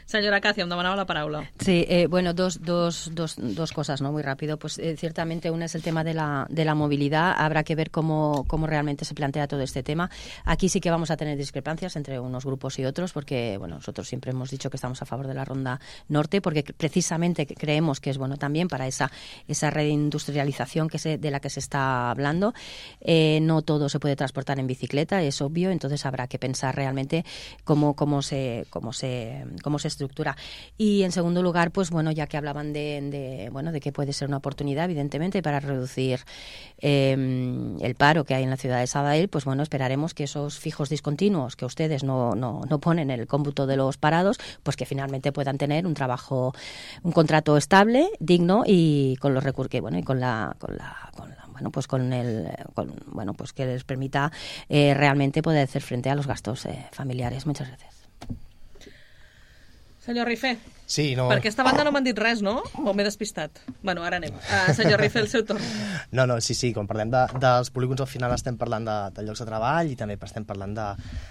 [SPEAKER 2] Señora Cacia, me demanaba la palabra.
[SPEAKER 7] Sí, eh, bueno, dos, dos, dos, dos cosas, ¿no? Muy rápido. Pues eh, ciertamente una es el tema de la, de la movilidad. Habrá que ver cómo, cómo realmente se plantea todo este tema. Aquí sí que vamos a tener discrepancias entre unos grupos y otros, porque bueno, nosotros siempre hemos dicho que estamos a favor de la Ronda Norte, porque precisamente creemos que es bueno también para esa, esa reindustrialización que se, de la que se está hablando. Eh, no todo se puede transportar en bicicleta, es obvio, entonces habrá que pensar realmente cómo, cómo se, cómo se cómo se estructura. Y en segundo lugar, pues bueno, ya que hablaban de, de bueno de que puede ser una oportunidad, evidentemente, para reducir eh, el paro que hay en la ciudad de Sabadell, pues bueno, esperaremos que esos fijos discontinuos que ustedes no, no, no ponen en el cómputo de los parados, pues que finalmente puedan tener un trabajo, un contrato estable, digno y con los recursos que bueno y con la con la, con la bueno pues con el con, bueno pues que les permita eh, realmente poder hacer frente a los gastos eh, familiares. Muchas gracias.
[SPEAKER 2] Senyor Rifé,
[SPEAKER 5] sí, no...
[SPEAKER 2] per aquesta banda no m'han dit res, no? O m'he despistat? Bueno, ara anem. Uh, senyor Rifé, el seu torn.
[SPEAKER 5] No, no, sí, sí, quan parlem de, dels polígons al final estem parlant de, de llocs de treball i també estem parlant de,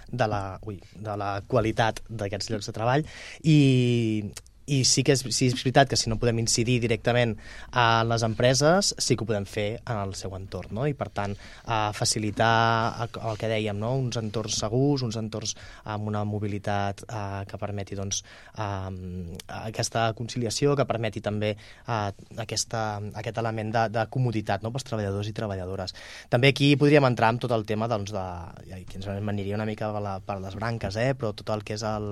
[SPEAKER 5] de, la, ui, de la qualitat d'aquests llocs de treball i... I sí que és, sí és veritat que si no podem incidir directament a les empreses, sí que ho podem fer en el seu entorn, no? I per tant a facilitar el que dèiem, no? Uns entorns segurs, uns entorns amb una mobilitat eh, que permeti doncs, eh, aquesta conciliació, que permeti també eh, aquesta, aquest element de, de comoditat, no? Pels treballadors i treballadores. També aquí podríem entrar en tot el tema doncs, de, ja, que ens aniria una mica per, la, per les branques, eh? Però tot el que és el,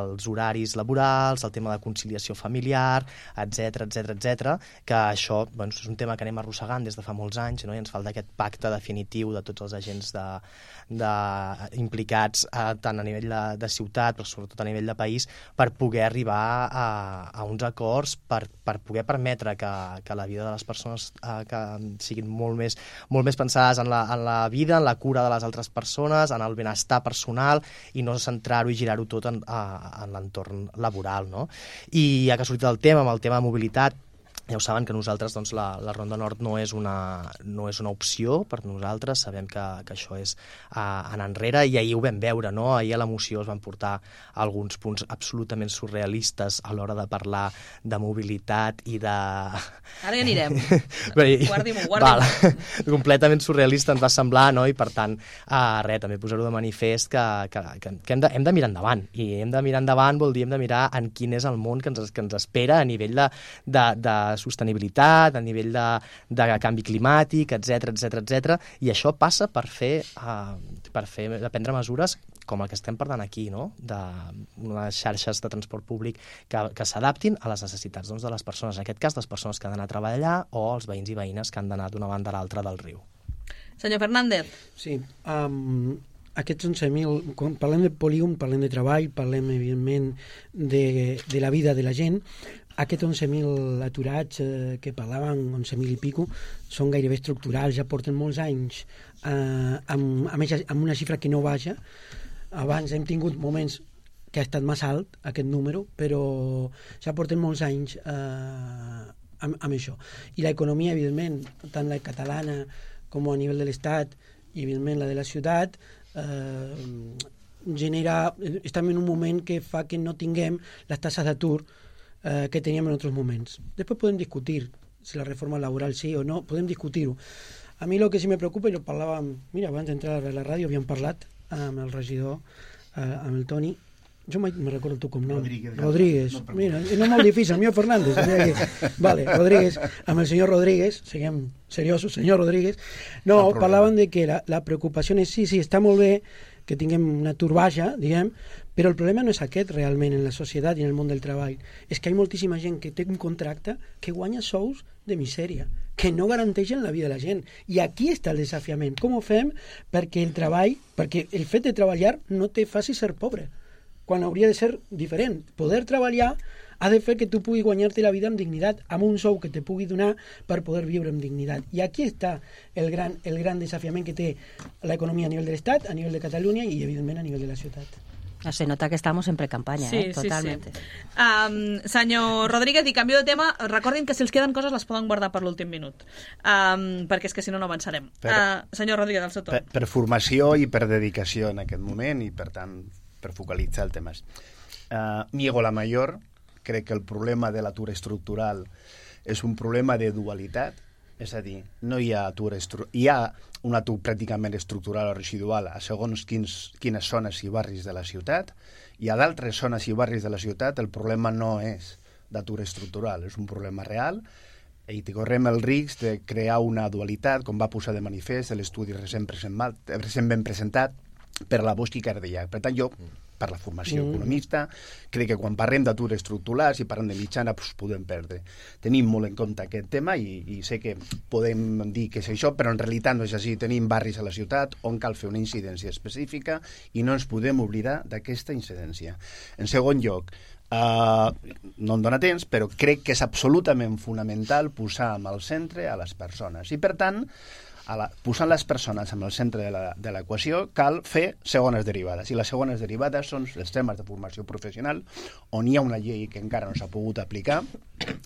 [SPEAKER 5] els horaris laborals, el tema de conciliació familiar, etc etc etc, que això bueno, és un tema que anem arrossegant des de fa molts anys, no? I ens falta aquest pacte definitiu de tots els agents de, de, implicats eh, tant a nivell de, de ciutat, però sobretot a nivell de país, per poder arribar a, a uns acords per, per poder permetre que, que la vida de les persones eh, que siguin molt més, molt més pensades en la, en la vida, en la cura de les altres persones, en el benestar personal, i no centrar-ho i girar-ho tot en, en l'entorn laboral, no? I ja que ha sortit el tema, amb el tema de mobilitat, ja ho saben que nosaltres doncs, la, la Ronda Nord no és, una, no és una opció per nosaltres, sabem que, que això és uh, anar enrere, i ahir ho vam veure, no? Ahir a la moció es van portar alguns punts absolutament surrealistes a l'hora de parlar de mobilitat i de...
[SPEAKER 2] Ara ja anirem. Guardi-m'ho, guardi-m'ho.
[SPEAKER 5] Completament surrealista ens va semblar, no? I per tant, uh, res, també posar-ho de manifest que, que, que, que hem, de, hem de mirar endavant, i hem de mirar endavant vol dir hem de mirar en quin és el món que ens, que ens espera a nivell de, de, de sostenibilitat, a nivell de, de canvi climàtic, etc etc etc, i això passa per fer, uh, per fer de prendre mesures com el que estem parlant aquí, no? De unes xarxes de transport públic que, que s'adaptin a les necessitats doncs, de les persones, en aquest cas les persones que han d'anar a treballar o els veïns i veïnes que han d'anar d'una banda a l'altra del riu.
[SPEAKER 2] Senyor Fernández.
[SPEAKER 4] Sí, um, aquests onze mil, quan parlem de polígon, parlem de treball, parlem evidentment de, de la vida de la gent. Aquests onze mil aturats eh, que parlaven, onze mil i pico, són gairebé estructurals, ja porten molts anys eh, amb, amb, amb una xifra que no baixa. Abans hem tingut moments que ha estat massa alt, aquest número, però ja porten molts anys eh, amb, amb això. I l'economia, evidentment, tant la catalana com a nivell de l'Estat i, evidentment, la de la ciutat, eh, genera... Estem en un moment que fa que no tinguem les taxes d'atur eh, que teníem en altres moments. Després podem discutir si la reforma laboral sí o no, podem discutir-ho. A mi el que sí me preocupa, i ho parlàvem, mira, abans d'entrar a la ràdio havíem parlat amb el regidor, eh, amb el Toni, jo me, me recordo tu com nom.
[SPEAKER 3] Rodríguez.
[SPEAKER 4] Rodríguez. No, mira, no és molt difícil, el mío Fernández. Que... Vale, Rodríguez, amb el senyor Rodríguez, siguem seriosos, senyor Rodríguez. No, no parlaven de que la, la preocupació és sí, sí, està molt bé que tinguem una atur baixa, diguem, però el problema no és aquest realment en la societat i en el món del treball. És que hi ha moltíssima gent que té un contracte que guanya sous de misèria, que no garanteixen la vida de la gent. I aquí està el desafiament. Com ho fem perquè el treball, perquè el fet de treballar no te faci ser pobre, quan hauria de ser diferent. Poder treballar ha de fer que tu puguis guanyar-te la vida amb dignitat, amb un sou que te pugui donar per poder viure amb dignitat. I aquí està el gran, el gran desafiament que té l'economia a nivell de l'Estat, a nivell de Catalunya i, evidentment, a nivell de la ciutat.
[SPEAKER 7] Se nota que estamos en pre-campaña,
[SPEAKER 2] sí,
[SPEAKER 7] ¿eh? Totalmente.
[SPEAKER 2] Sí, sí. Um, senyor Rodríguez, i canvio de tema, recordin que si els queden coses les poden guardar per l'últim minut, um, perquè és que si no no avançarem. Per, uh, senyor Rodríguez, del seu torn.
[SPEAKER 3] Per, per formació i per dedicació en aquest moment i, per tant, per focalitzar el tema. Uh, Niego la mayor, crec que el problema de l'atur estructural és un problema de dualitat, és a dir, no hi ha atur estru... hi ha un atur pràcticament estructural o residual a segons quins, quines zones i barris de la ciutat, i a d'altres zones i barris de la ciutat el problema no és d'atur estructural, és un problema real, i correm el risc de crear una dualitat, com va posar de manifest l'estudi recent, recentment presentat per la Bosch i Cardellà. Per tant, jo, per la formació mm. economista, crec que quan parlem d'atur estructurals i parlem de mitjana, doncs podem perdre. Tenim molt en compte aquest tema i, i sé que podem dir que és això, però en realitat no és així. Tenim barris a la ciutat on cal fer una incidència específica i no ens podem oblidar d'aquesta incidència. En segon lloc, Uh, no em dóna temps, però crec que és absolutament fonamental posar en el centre a les persones. I, per tant, a la, posant les persones en el centre de l'equació, cal fer segones derivades. I les segones derivades són els temes de formació professional, on hi ha una llei que encara no s'ha pogut aplicar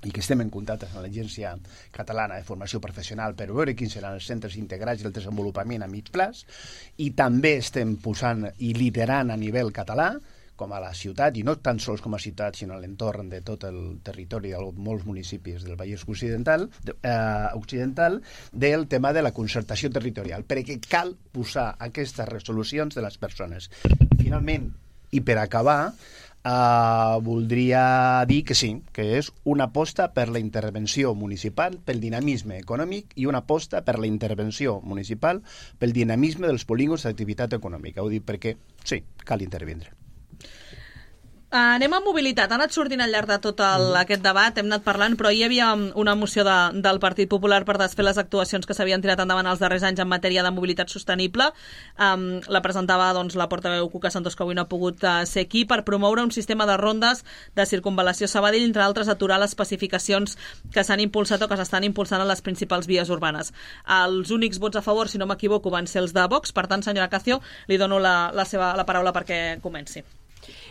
[SPEAKER 3] i que estem en contacte amb l'Agència Catalana de Formació Professional per veure quins seran els centres integrats i el desenvolupament a mig plaç, i també estem posant i liderant a nivell català com a la ciutat, i no tan sols com a ciutat, sinó a l'entorn de tot el territori de molts municipis del Vallès Occidental, eh, occidental del tema de la concertació territorial, perquè cal posar aquestes resolucions de les persones. Finalment, i per acabar, eh, voldria dir que sí, que és una aposta per la intervenció municipal, pel dinamisme econòmic, i una aposta per la intervenció municipal pel dinamisme dels polígons d'activitat econòmica. Ho dic perquè, sí, cal intervindre.
[SPEAKER 2] Uh, anem a mobilitat. Ha anat sortint al llarg de tot el, mm. aquest debat, hem anat parlant, però hi havia una moció de, del Partit Popular per desfer les actuacions que s'havien tirat endavant els darrers anys en matèria de mobilitat sostenible. Um, la presentava doncs, la portaveu Cuca Santos, que avui no ha pogut uh, ser aquí, per promoure un sistema de rondes de circunvalació Sabadell, entre altres aturar les pacificacions que s'han impulsat o que s'estan impulsant a les principals vies urbanes. Els únics vots a favor, si no m'equivoco, van ser els de Vox. Per tant, senyora Cacio, li dono la, la, seva, la paraula perquè comenci.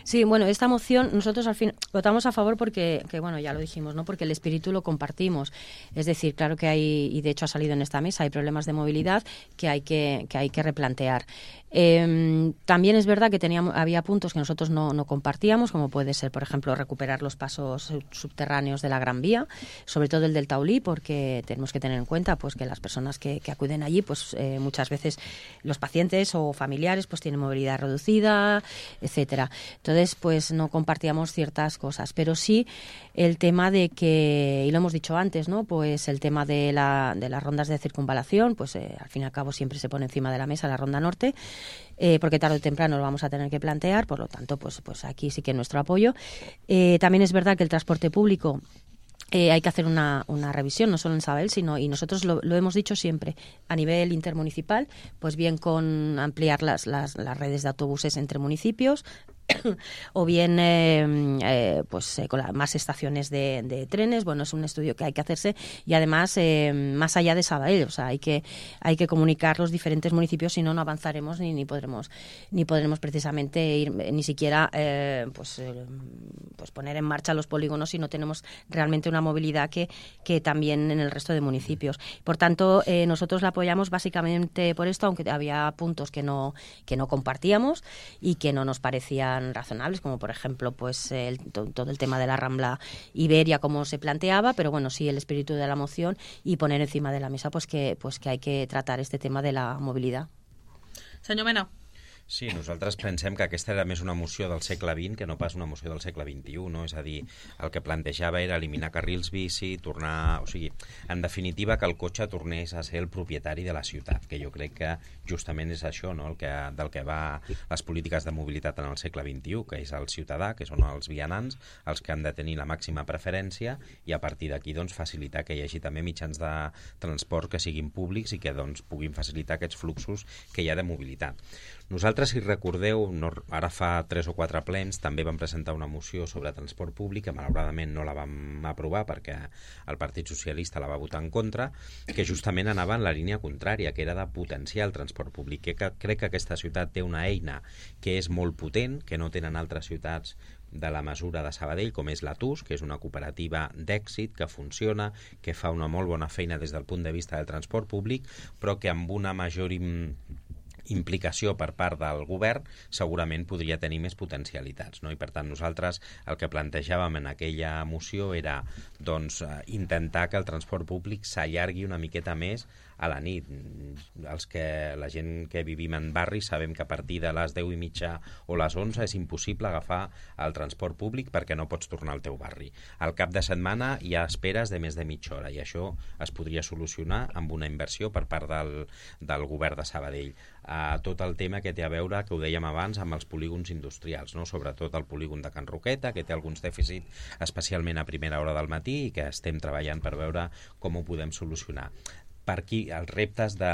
[SPEAKER 7] Sí, bueno, esta moción nosotros al fin votamos a favor porque, que bueno, ya lo dijimos, ¿no? Porque el espíritu lo compartimos. Es decir, claro que hay, y de hecho ha salido en esta mesa, hay problemas de movilidad que hay que, que, hay que replantear. Eh, también es verdad que teníamos, había puntos que nosotros no, no compartíamos, como puede ser, por ejemplo, recuperar los pasos subterráneos de la Gran Vía, sobre todo el del Taulí, porque tenemos que tener en cuenta pues que las personas que, que acuden allí, pues eh, muchas veces los pacientes o familiares pues tienen movilidad reducida, etcétera. Entonces, pues no compartíamos ciertas cosas, pero sí el tema de que, y lo hemos dicho antes, ¿no? Pues el tema de, la, de las rondas de circunvalación, pues eh, al fin y al cabo siempre se pone encima de la mesa la Ronda Norte, Eh, porque tarde o temprano lo vamos a tener que plantear, por lo tanto, pues, pues aquí sí que nuestro apoyo. Eh, también es verdad que el transporte público Eh, hay que hacer una, una revisión, no solo en Sabadell, sino, y nosotros lo, lo hemos dicho siempre, a nivel intermunicipal, pues bien con ampliar las, las, las redes de autobuses entre municipios, o bien eh, eh, pues eh, con la, más estaciones de, de trenes. Bueno, es un estudio que hay que hacerse, y además eh, más allá de Sabadell, o sea, hay que hay que comunicar los diferentes municipios, si no no avanzaremos ni, ni podremos ni podremos precisamente ir ni siquiera eh, pues eh, pues poner en marcha los polígonos si no tenemos realmente una movilidad que que también en el resto de municipios. Por tanto, eh, nosotros la apoyamos básicamente por esto, aunque había puntos que no que no compartíamos y que no nos parecían razonables, como por ejemplo pues el, todo el tema de la Rambla Iberia, como se planteaba, pero bueno, sí el espíritu de la moción, y poner encima de la mesa pues que pues que hay que tratar este tema de la movilidad.
[SPEAKER 2] Senyor Mena.
[SPEAKER 6] Sí, nosaltres pensem que aquesta era més una moció del segle vint que no pas una moció del segle vint-i-u, no? És a dir, el que plantejava era eliminar carrils bici, tornar... O sigui, en definitiva, que el cotxe tornés a ser el propietari de la ciutat, que jo crec que justament és això, no? El que, del que va les polítiques de mobilitat en el segle vint-i-u, que és el ciutadà, que són els vianants, els que han de tenir la màxima preferència, i a partir d'aquí doncs, facilitar que hi hagi també mitjans de transport que siguin públics i que doncs, puguin facilitar aquests fluxos que hi ha de mobilitat. Nosaltres, si recordeu, no, ara fa tres o quatre plens també vam presentar una moció sobre transport públic, que malauradament no la vam aprovar perquè el Partit Socialista la va votar en contra, que justament anava en la línia contrària, que era de potenciar el transport públic. Que, que crec que aquesta ciutat té una eina que és molt potent, que no tenen altres ciutats de la mesura de Sabadell, com és l'Atus, que és una cooperativa d'èxit, que funciona, que fa una molt bona feina des del punt de vista del transport públic, però que amb una major implicació per part del govern segurament podria tenir més potencialitats, no? I per tant nosaltres el que plantejàvem en aquella moció era doncs, intentar que el transport públic s'allargui una miqueta més a la nit. Els que, la gent que vivim en barris sabem que a partir de les deu i mitja o les onze és impossible agafar el transport públic perquè no pots tornar al teu barri. Al cap de setmana hi ha esperes de més de mitja hora, i això es podria solucionar amb una inversió per part del, del govern de Sabadell. Uh, tot el tema que té a veure, que ho dèiem abans, amb els polígons industrials, no? Sobretot el polígon de Can Roqueta, que té alguns dèficits especialment a primera hora del matí, i que estem treballant per veure com ho podem solucionar. Per aquí, els reptes de,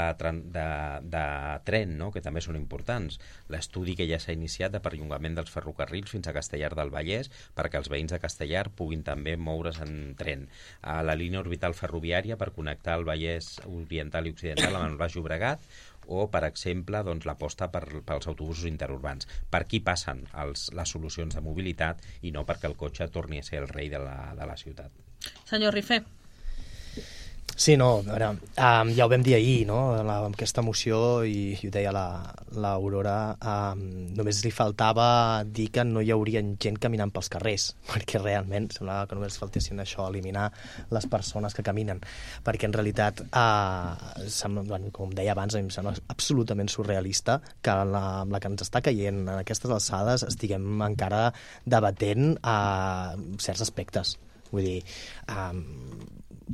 [SPEAKER 6] de, de tren, no? Que també són importants. L'estudi que ja s'ha iniciat de perllongament dels ferrocarrils fins a Castellar del Vallès, perquè els veïns de Castellar puguin també moure's en tren. A la línia orbital ferroviària per connectar el Vallès Oriental i Occidental amb el Baix Llobregat, o, per exemple, doncs, l'aposta per, pels autobusos interurbans. Per aquí passen els, les solucions de mobilitat, i no perquè el cotxe torni a ser el rei de la, de la ciutat.
[SPEAKER 2] Senyor Rifé.
[SPEAKER 5] Sí, no, a veure, um, ja ho vam dir ahir, no?, la, amb aquesta moció, i, i ho deia l'Aurora, la, um, només li faltava dir que no hi hauria gent caminant pels carrers, perquè realment semblava que només faltessin això, eliminar les persones que caminen, perquè en realitat, uh, sembla, bueno, com deia abans, a mi em sembla absolutament surrealista que la, amb la que ens està caient en aquestes alçades estiguem encara debatent uh, certs aspectes. Vull dir, um,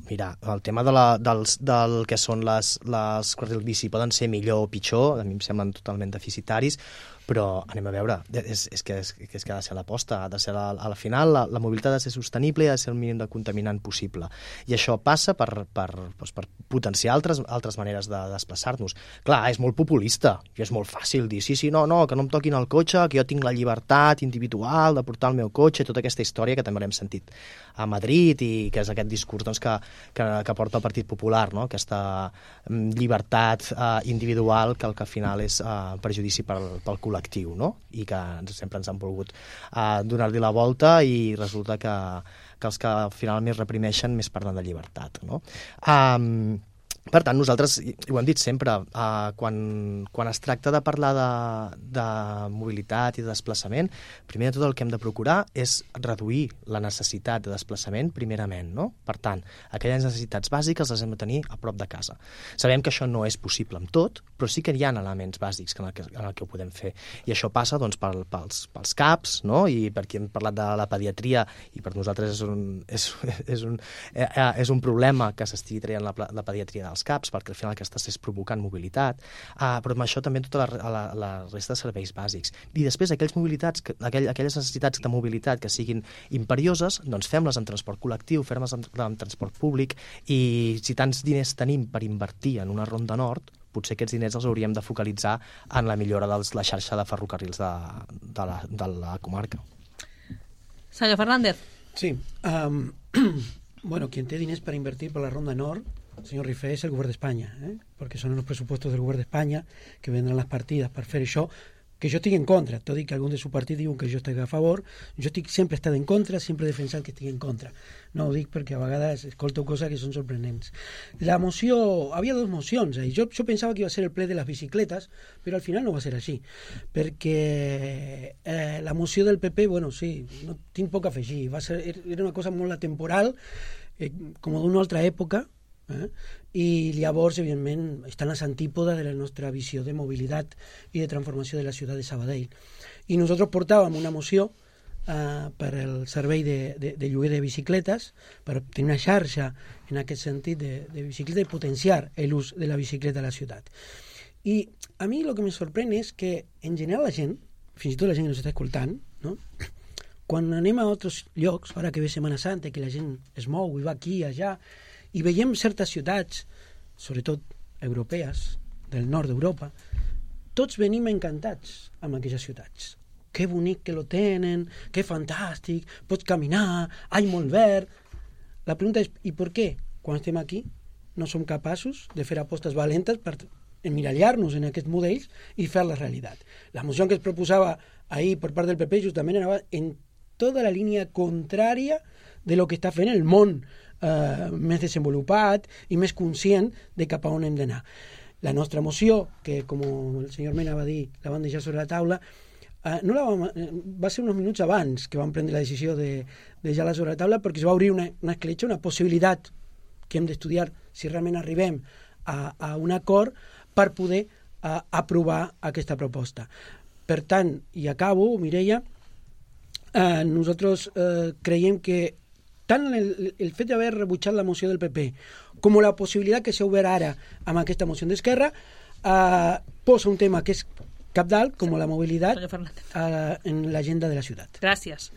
[SPEAKER 5] mira, el tema de la, dels, del que són les, les carrils bici poden ser millor o pitjor, a mi em semblen totalment deficitaris, però anem a veure, és, és, que, és, és que ha de ser l'aposta, ha de ser la, a la final la, la mobilitat ha de ser sostenible i ha de ser el mínim de contaminant possible. I això passa per, per, doncs per potenciar altres, altres maneres de desplaçar-nos. Clar, és molt populista i és molt fàcil dir, sí, sí, no, no, que no em toquin el cotxe, que jo tinc la llibertat individual de portar el meu cotxe, tota aquesta història que també l'hem sentit a Madrid i que és aquest discurs doncs, que, que, que porta el Partit Popular, no? Aquesta llibertat eh, individual que el que al final és eh, perjudici pel, pel col·lectiu, no? I que sempre ens han volgut uh, donar-li la volta i resulta que, que els que al final més reprimeixen més parlen de llibertat, no? Um, per tant, nosaltres, ho hem dit sempre, uh, quan, quan es tracta de parlar de, de mobilitat i de desplaçament, primer de tot el que hem de procurar és reduir la necessitat de desplaçament primerament, no? Per tant, aquelles necessitats bàsiques les hem de tenir a prop de casa. Sabem que això no és possible amb tot, però sí que hi ha elements bàsics en el que, en el que ho podem fer. I això passa doncs, pel, pels, pels C A Ps, no? I per qui hem parlat de la pediatria, i per nosaltres és un, és, és un, eh, és un problema que s'estigui traient la, la pediatria dels C A Ps, perquè al final aquesta és provocant mobilitat, uh, però amb això també tota la, la, la resta de serveis bàsics. I després aquells mobilitats, que, aquell, aquelles necessitats de mobilitat que siguin imperioses, doncs fem-les en transport col·lectiu, fem-les en, en transport públic, i si tants diners tenim per invertir en una ronda nord, potser aquests diners els hauríem de focalitzar en la millora de la xarxa de ferrocarrils de, de, la, de la comarca.
[SPEAKER 2] Senyor Fernández.
[SPEAKER 4] Sí. Um, bueno, quien té diners per invertir per la ronda nord, señor Rifé, es el govern d'Espanya, eh? Perquè són els pressupostos del govern d'Espanya que vendran les partides per fer això, que jo estic en contra, tot i que algun de su partit diuen que jo estic a favor, jo estic sempre estat en contra, sempre he defensat que estic en contra. No ho dic perquè a vegades escolto coses que són sorprenents. La moció, havia dues mocions, eh? jo, jo pensava que iba a ser el ple de les bicicletes, però al final no va ser així, perquè eh, la moció del P P, bueno, sí, no tinc poc a afegir, va ser, era una cosa molt atemporal, eh, com d'una altra època, Eh? I llavors, evidentment, estan les antípodes de la nostra visió de mobilitat i de transformació de la ciutat de Sabadell. I nosaltres portàvem una moció eh, per al servei de, de, de lloguer de bicicletes, per tenir una xarxa en aquest sentit de, de bicicleta i potenciar l'ús de la bicicleta a la ciutat. I a mi el que me sorprèn és que, en general, la gent, fins i tot la gent que ens està escoltant, no? Quan anem a altres llocs, ara que ve Setmana Santa, que la gent es mou i va aquí i allà, i veiem certes ciutats, sobretot europees, del nord d'Europa, tots venim encantats amb aquelles ciutats. Que bonic que lo tenen, que fantàstic, pots caminar, hay molt verd. La pregunta és, i per què, quan estem aquí, no som capaços de fer apostes valentes per emmirallar-nos en aquests modells i fer la realitat? La moció que es proposava ahir per part del P P justament anava en tota la línia contrària de lo que està fent el món Uh, més desenvolupat i més conscient de cap a on hem d'anar. La nostra moció, que com el senyor Mena va dir, la van deixar sobre la taula, uh, no la vam, va ser uns minuts abans que vam prendre la decisió de, de deixar-la sobre la taula, perquè es va obrir una, una escletxa, una possibilitat que hem d'estudiar si realment arribem a, a un acord per poder uh, aprovar aquesta proposta. Per tant, i acabo, Mireia, uh, nosaltres uh, creiem que tant el, el fet d'haver rebutjat la moció del P P com la possibilitat que s'ha obert ara amb aquesta moció d'Esquerra eh, posa un tema que és cabdal, com la mobilitat, eh, en l'agenda de la ciutat.
[SPEAKER 2] Gràcies.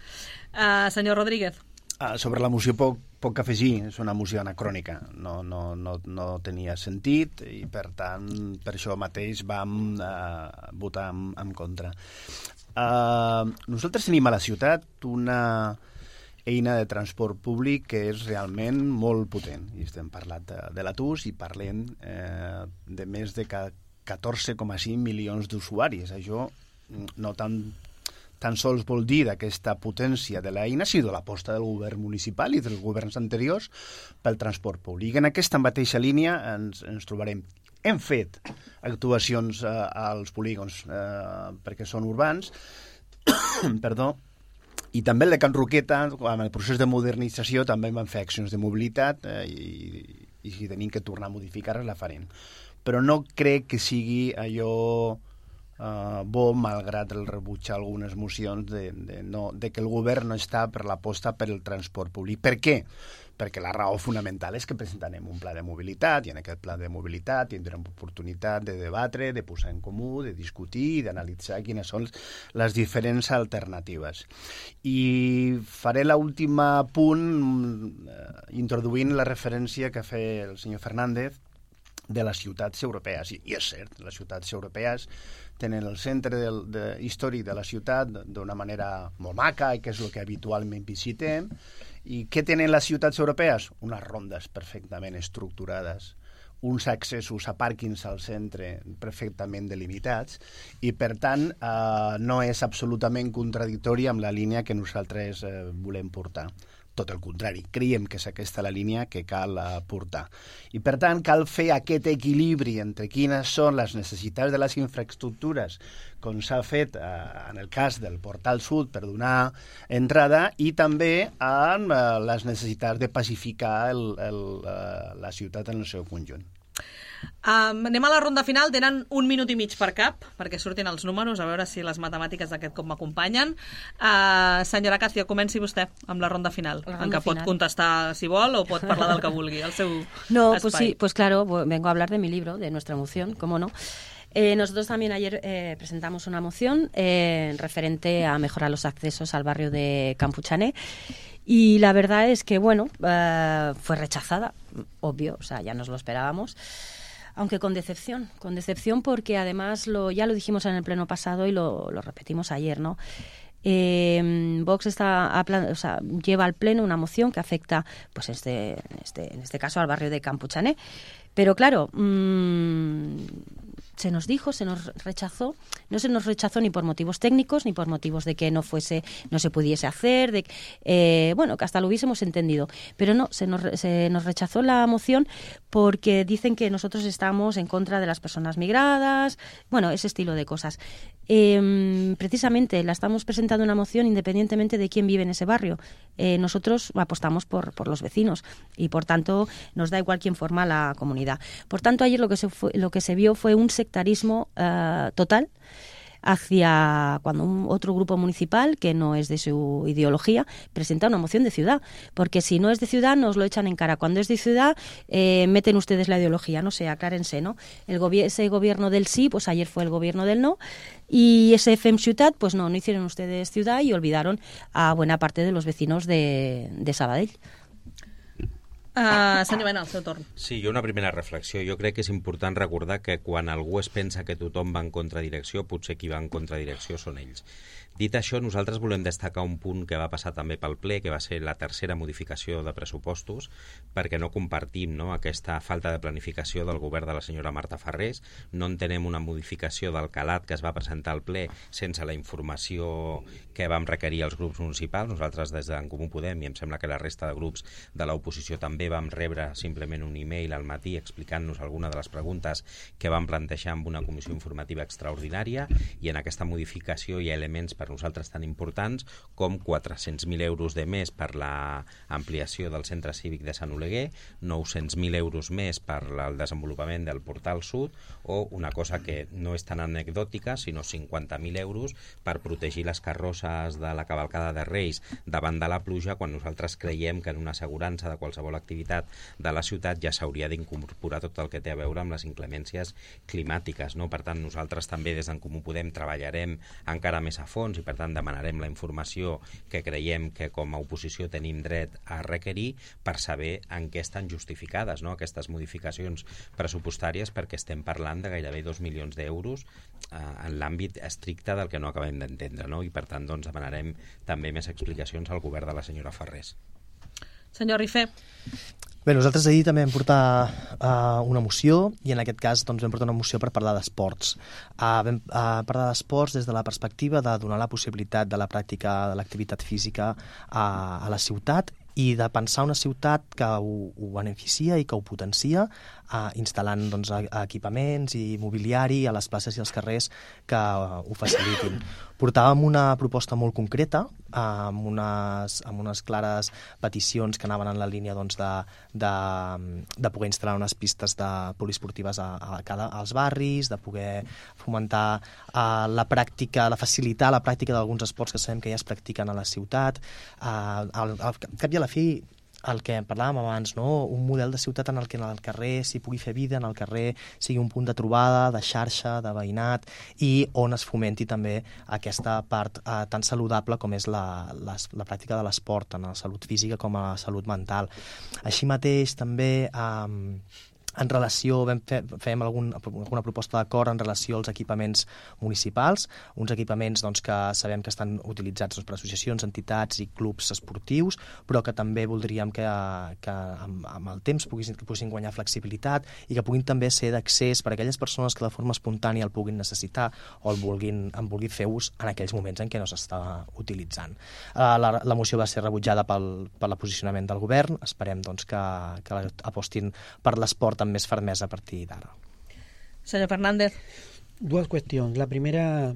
[SPEAKER 2] Uh, senyor Rodríguez.
[SPEAKER 3] Uh, sobre la moció poc, poc a afegir, és una moció anacrònica, no, no, no, no tenia sentit i per tant per això mateix vam uh, votar en, en contra. Uh, nosaltres tenim a la ciutat una eina de transport públic que és realment molt potent. I estem parlant de, de l'A T U S i parlem eh, de més de catorze coma cinc milions d'usuaris. Això no tan, tan sols vol dir d'aquesta potència de l'eina, sinó de l'aposta del govern municipal i dels governs anteriors pel transport públic. En aquesta mateixa línia ens, ens trobarem. Hem fet actuacions eh, als polígons eh, perquè són urbans, perdó, i també el de Can Roqueta, amb el procés de modernització, també van fer accions de mobilitat eh, i, i si tenim que tornar a modificar-les, la farem. Però no crec que sigui allò uh, bo, malgrat el rebuig a algunes mocions de, de, no, de que el govern no està per l'aposta per el transport públic. Per què? Perquè la raó fonamental és que presentarem un pla de mobilitat, i en aquest pla de mobilitat tindrem oportunitat de debatre, de posar en comú, de discutir i d'analitzar quines són les diferents alternatives. I faré l'últim punt eh, introduint la referència que ha fet el senyor Fernández de les ciutats europees. I, i és cert, les ciutats europees tenen el centre del, de, històric de la ciutat d'una manera molt maca, que és el que habitualment visitem. I què tenen les ciutats europees? Unes rondes perfectament estructurades, uns accessos a pàrquings al centre perfectament delimitats, i per tant eh, no és absolutament contradictori amb la línia que nosaltres eh, volem portar. Tot el contrari, creiem que és aquesta la línia que cal uh, portar. I, per tant, cal fer aquest equilibri entre quines són les necessitats de les infraestructures, com s'ha fet uh, en el cas del Portal Sud per donar entrada, i també en uh, les necessitats de pacificar el, el, uh, la ciutat en el seu conjunt.
[SPEAKER 2] Um, anem a la ronda final, tenen un minut i mig per cap, perquè surtin els números, a veure si les matemàtiques d'aquest cop m'acompanyen. Uh, senyora Càcia, comenci vostè amb la ronda final, la ronda en què final. Pot contestar si vol o pot parlar del que vulgui, el seu
[SPEAKER 7] no,
[SPEAKER 2] espai.
[SPEAKER 7] Pues sí, pues claro, vengo a hablar de mi libro, de nuestra moción, ¿cómo no? Eh, nosotros también ayer eh, presentamos una moción eh, referente a mejorar los accesos al barrio de Campuchané. Y la verdad es que, bueno, eh, fue rechazada, obvio, o sea, ya nos lo esperábamos. Aunque con decepción, con decepción porque además lo, ya lo dijimos en el pleno pasado y lo, lo repetimos ayer, ¿no? Eh, Vox está a plan, o sea, lleva al pleno una moción que afecta, pues este, este, en este caso al barrio de Campuchané. Pero claro, mmm, se nos dijo, se nos rechazó, no se nos rechazó ni por motivos técnicos, ni por motivos de que no fuese, no se pudiese hacer, de eh, bueno, que hasta lo hubiésemos entendido, pero no, se nos, se nos rechazó la moción porque dicen que nosotros estamos en contra de las personas migradas, bueno, ese estilo de cosas. Eh, precisamente la estamos presentando una moción independientemente de quién vive en ese barrio. Eh, nosotros apostamos por, por los vecinos y por tanto nos da igual quién forma la comunidad. Por tanto, ayer lo que se, fue, lo que se vio fue un sectarismo uh, total hacia cuando un otro grupo municipal que no es de su ideología presenta una moción de ciudad, porque si no es de ciudad nos lo echan en cara, cuando es de ciudad eh, meten ustedes la ideología, no sé, aclárense, ¿no? El gobi- ese gobierno del sí, pues ayer fue el gobierno del no, y ese Fem Ciutat, pues no, no hicieron ustedes ciudad y olvidaron a buena parte de los vecinos de, de Sabadell.
[SPEAKER 2] Uh, senyor Mena, el seu torn.
[SPEAKER 6] Sí, jo una primera reflexió. Jo crec que és important recordar que quan algú es pensa que tothom va en contradirecció, potser qui va en contradirecció són ells. Dit això, nosaltres volem destacar un punt que va passar també pel ple, que va ser la tercera modificació de pressupostos, perquè no compartim, no, aquesta falta de planificació del govern de la senyora Marta Farrés. No entenem una modificació del calat que es va presentar al ple sense la informació que vam requerir als grups municipals. Nosaltres des d'en Comú Podem, i em sembla que la resta de grups de l'oposició també vam rebre simplement un e-mail al matí explicant-nos alguna de les preguntes que vam plantejar amb una comissió informativa extraordinària, i en aquesta modificació hi ha elements per nosaltres tan importants com quatre-cents mil euros de més per l'ampliació del centre cívic de Sant Oleguer, nou-cents mil euros més per el desenvolupament del Portal Sud, o una cosa que no és tan anecdòtica, sinó cinquanta mil euros per protegir les carrosses de la cavalcada de Reis davant de la pluja, quan nosaltres creiem que en una assegurança de qualsevol activitat de la ciutat ja s'hauria d'incorporar tot el que té a veure amb les inclemències climàtiques, no? Per tant, nosaltres també des d'en Comú Podem treballarem encara més a fons i per tant demanarem la informació que creiem que com a oposició tenim dret a requerir per saber en què estan justificades, no, aquestes modificacions pressupostàries, perquè estem parlant de gairebé dos milions d'euros eh, en l'àmbit estricte del que no acabem d'entendre, no? I per tant doncs, demanarem també més explicacions al govern de la senyora Farrés.
[SPEAKER 2] Senyor Rifé.
[SPEAKER 5] Bé, nosaltres ahir també vam portar uh, una moció, i en aquest cas doncs, vam portar una moció per parlar d'esports. Uh, vam uh, parlar d'esports des de la perspectiva de donar la possibilitat de la pràctica de l'activitat física a, a la ciutat, i de pensar una ciutat que ho, ho beneficia i que ho potencia uh, instal·lant doncs, equipaments i mobiliari a les places i als carrers que uh, ho facilitin. Portàvem una proposta molt concreta, uh, amb, unes, amb unes clares peticions que anaven en la línia doncs, de, de, de poder instal·lar unes pistes de poliesportives a, a cada, als barris, de poder fomentar uh, la pràctica, la facilitar la pràctica d'alguns esports que sabem que ja es practiquen a la ciutat. Uh, al, al cap i a la fi, el que parlàvem abans, no? Un model de ciutat en el que en el carrer s'hi pugui fer vida, en el carrer sigui un punt de trobada, de xarxa, de veïnat, i on es fomenti també aquesta part eh, tan saludable com és la, la, la pràctica de l'esport, tant a la salut física com a la salut mental. Així mateix també eh, en relació, vam fer, fem algun, alguna proposta d'acord en relació als equipaments municipals, uns equipaments doncs, que sabem que estan utilitzats doncs, per associacions, entitats i clubs esportius, però que també voldríem que, que amb, amb el temps poguessin, que poguessin guanyar flexibilitat i que puguin també ser d'accés per a aquelles persones que de forma espontània el puguin necessitar o el vulguin, en vulguin fer ús en aquells moments en què no s'està utilitzant. Uh, la, la moció va ser rebutjada pel, per el posicionament del govern. Esperem doncs, que, que apostin per l'esport amb més fermesa a partir d'ara.
[SPEAKER 2] Senyor Fernández.
[SPEAKER 4] Dues qüestions. La primera,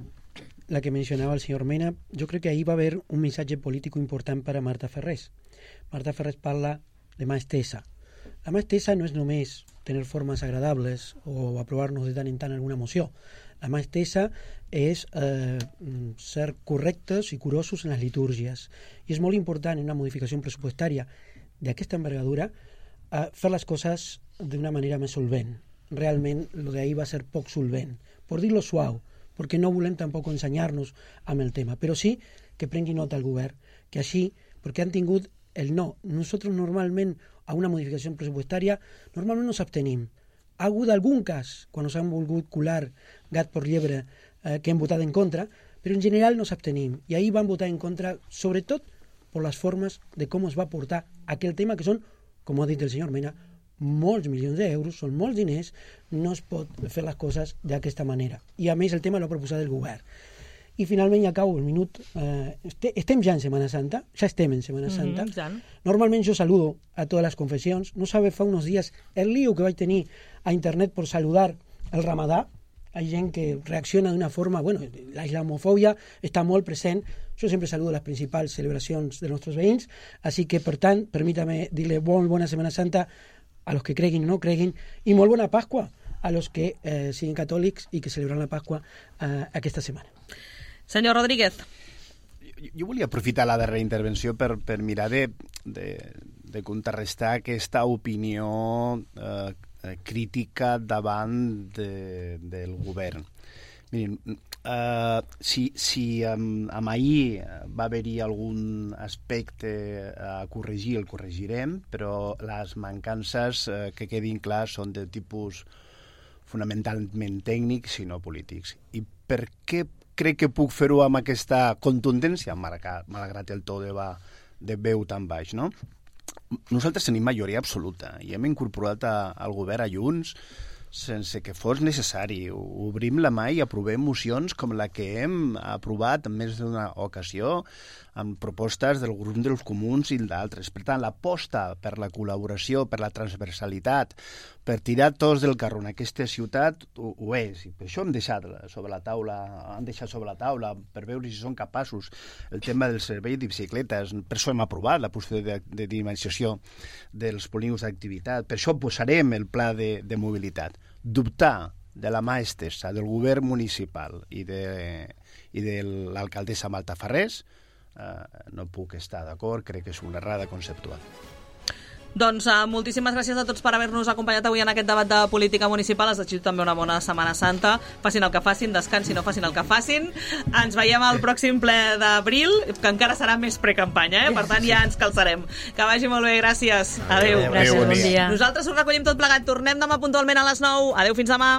[SPEAKER 4] la que mencionava el senyor Mena, jo crec que ahir va haver un missatge polític important per a Marta Ferrés. Marta Ferrés parla de mà estesa. La mà estesa no és només tenir formes agradables o aprovar-nos de tant en tant alguna moció. La mà estesa és eh, ser correctes i curosos en les litúrgies. I és molt important en una modificació pressupostària d'aquesta envergadura eh, fer les coses d'una manera més solvent. Realment, lo de ahí va ser poc solvent. Por dir-lo suau, perquè no volem tampoc ensenyar-nos amb el tema, però sí que prengui nota el govern, que així, perquè han tingut el no. Nosaltres normalment, a una modificació pressupostària, normalment nos abstenim. Ha hagut algun cas, quan nos han volgut colar gat per llebre, eh, que hem votat en contra, però en general nos abstenim. I ahir van votar en contra, sobretot, per les formes de com es va portar aquell tema, que són, com ha dit el senyor Mena, molts milions d'euros, són molts diners, no es pot fer les coses d'aquesta manera. I a més el tema l'ha proposat el govern. I finalment ja acabo el minut. Eh, estem ja en Setmana Santa, ja estem en Setmana Santa.
[SPEAKER 2] Mm-hmm,
[SPEAKER 4] Normalment jo saludo a totes les confessions. No sabe fa uns dies el lío que vaig tenir a internet per saludar el Ramadà. Hi ha gent que reacciona d'una forma, bueno, la islamofòbia està molt present. Jo sempre saludo les principals celebracions dels nostres veïns, així que, per tant, permítame dir-le molt bona Setmana Santa a los que creguin o no creguin, i molt bona Pasqua a los que eh, siguin catòlics i que celebren la Pasqua eh, aquesta setmana.
[SPEAKER 2] Senyor Rodríguez.
[SPEAKER 3] Jo, jo volia aprofitar la darrera intervenció per, per mirar de, de, de contrarrestar aquesta opinió eh, crítica davant de, del govern. Miren, uh, si, si um, amb ahir va haver-hi algun aspecte a corregir, el corregirem, però les mancances, uh, que quedin clars, són de tipus fonamentalment tècnics i no polítics. I per què crec que puc fer-ho amb aquesta contundència, malgrat el to de, va, de veu tan baix, no? Nosaltres tenim majoria absoluta i hem incorporat a, al govern a Junts sense que fos necessari. Obrim la mà i aprovem mocions com la que hem aprovat en més d'una ocasió amb propostes del grup dels comuns i d'altres. Per tant, l'aposta per la col·laboració, per la transversalitat, per tirar tots del carro en aquesta ciutat, ho, ho és. I per això hem deixat sobre la taula, han deixat sobre la taula per veure si són capaços el tema del servei de bicicletes. Per això hem aprovat la possibilitat de, de dimensió dels polígons d'activitat. Per això posarem el pla de, de mobilitat. Dubtar de la mà estesa del govern municipal i de, i de l'alcaldessa Marta Ferrés, Uh, no puc estar d'acord, crec que és una errada conceptual.
[SPEAKER 2] Doncs uh, moltíssimes gràcies a tots per haver-nos acompanyat avui en aquest debat de política municipal. Es desitjo també una bona Setmana Santa. Facin el que facin, descansin o facin el que facin. Ens veiem al pròxim ple d'abril, que encara serà més precampanya, eh? Per tant ja ens calçarem. Que vagi molt bé, gràcies. Adéu.
[SPEAKER 7] Gràcies, bon dia.
[SPEAKER 2] Nosaltres us recollim tot plegat. Tornem demà puntualment a les nou. Adéu, fins demà.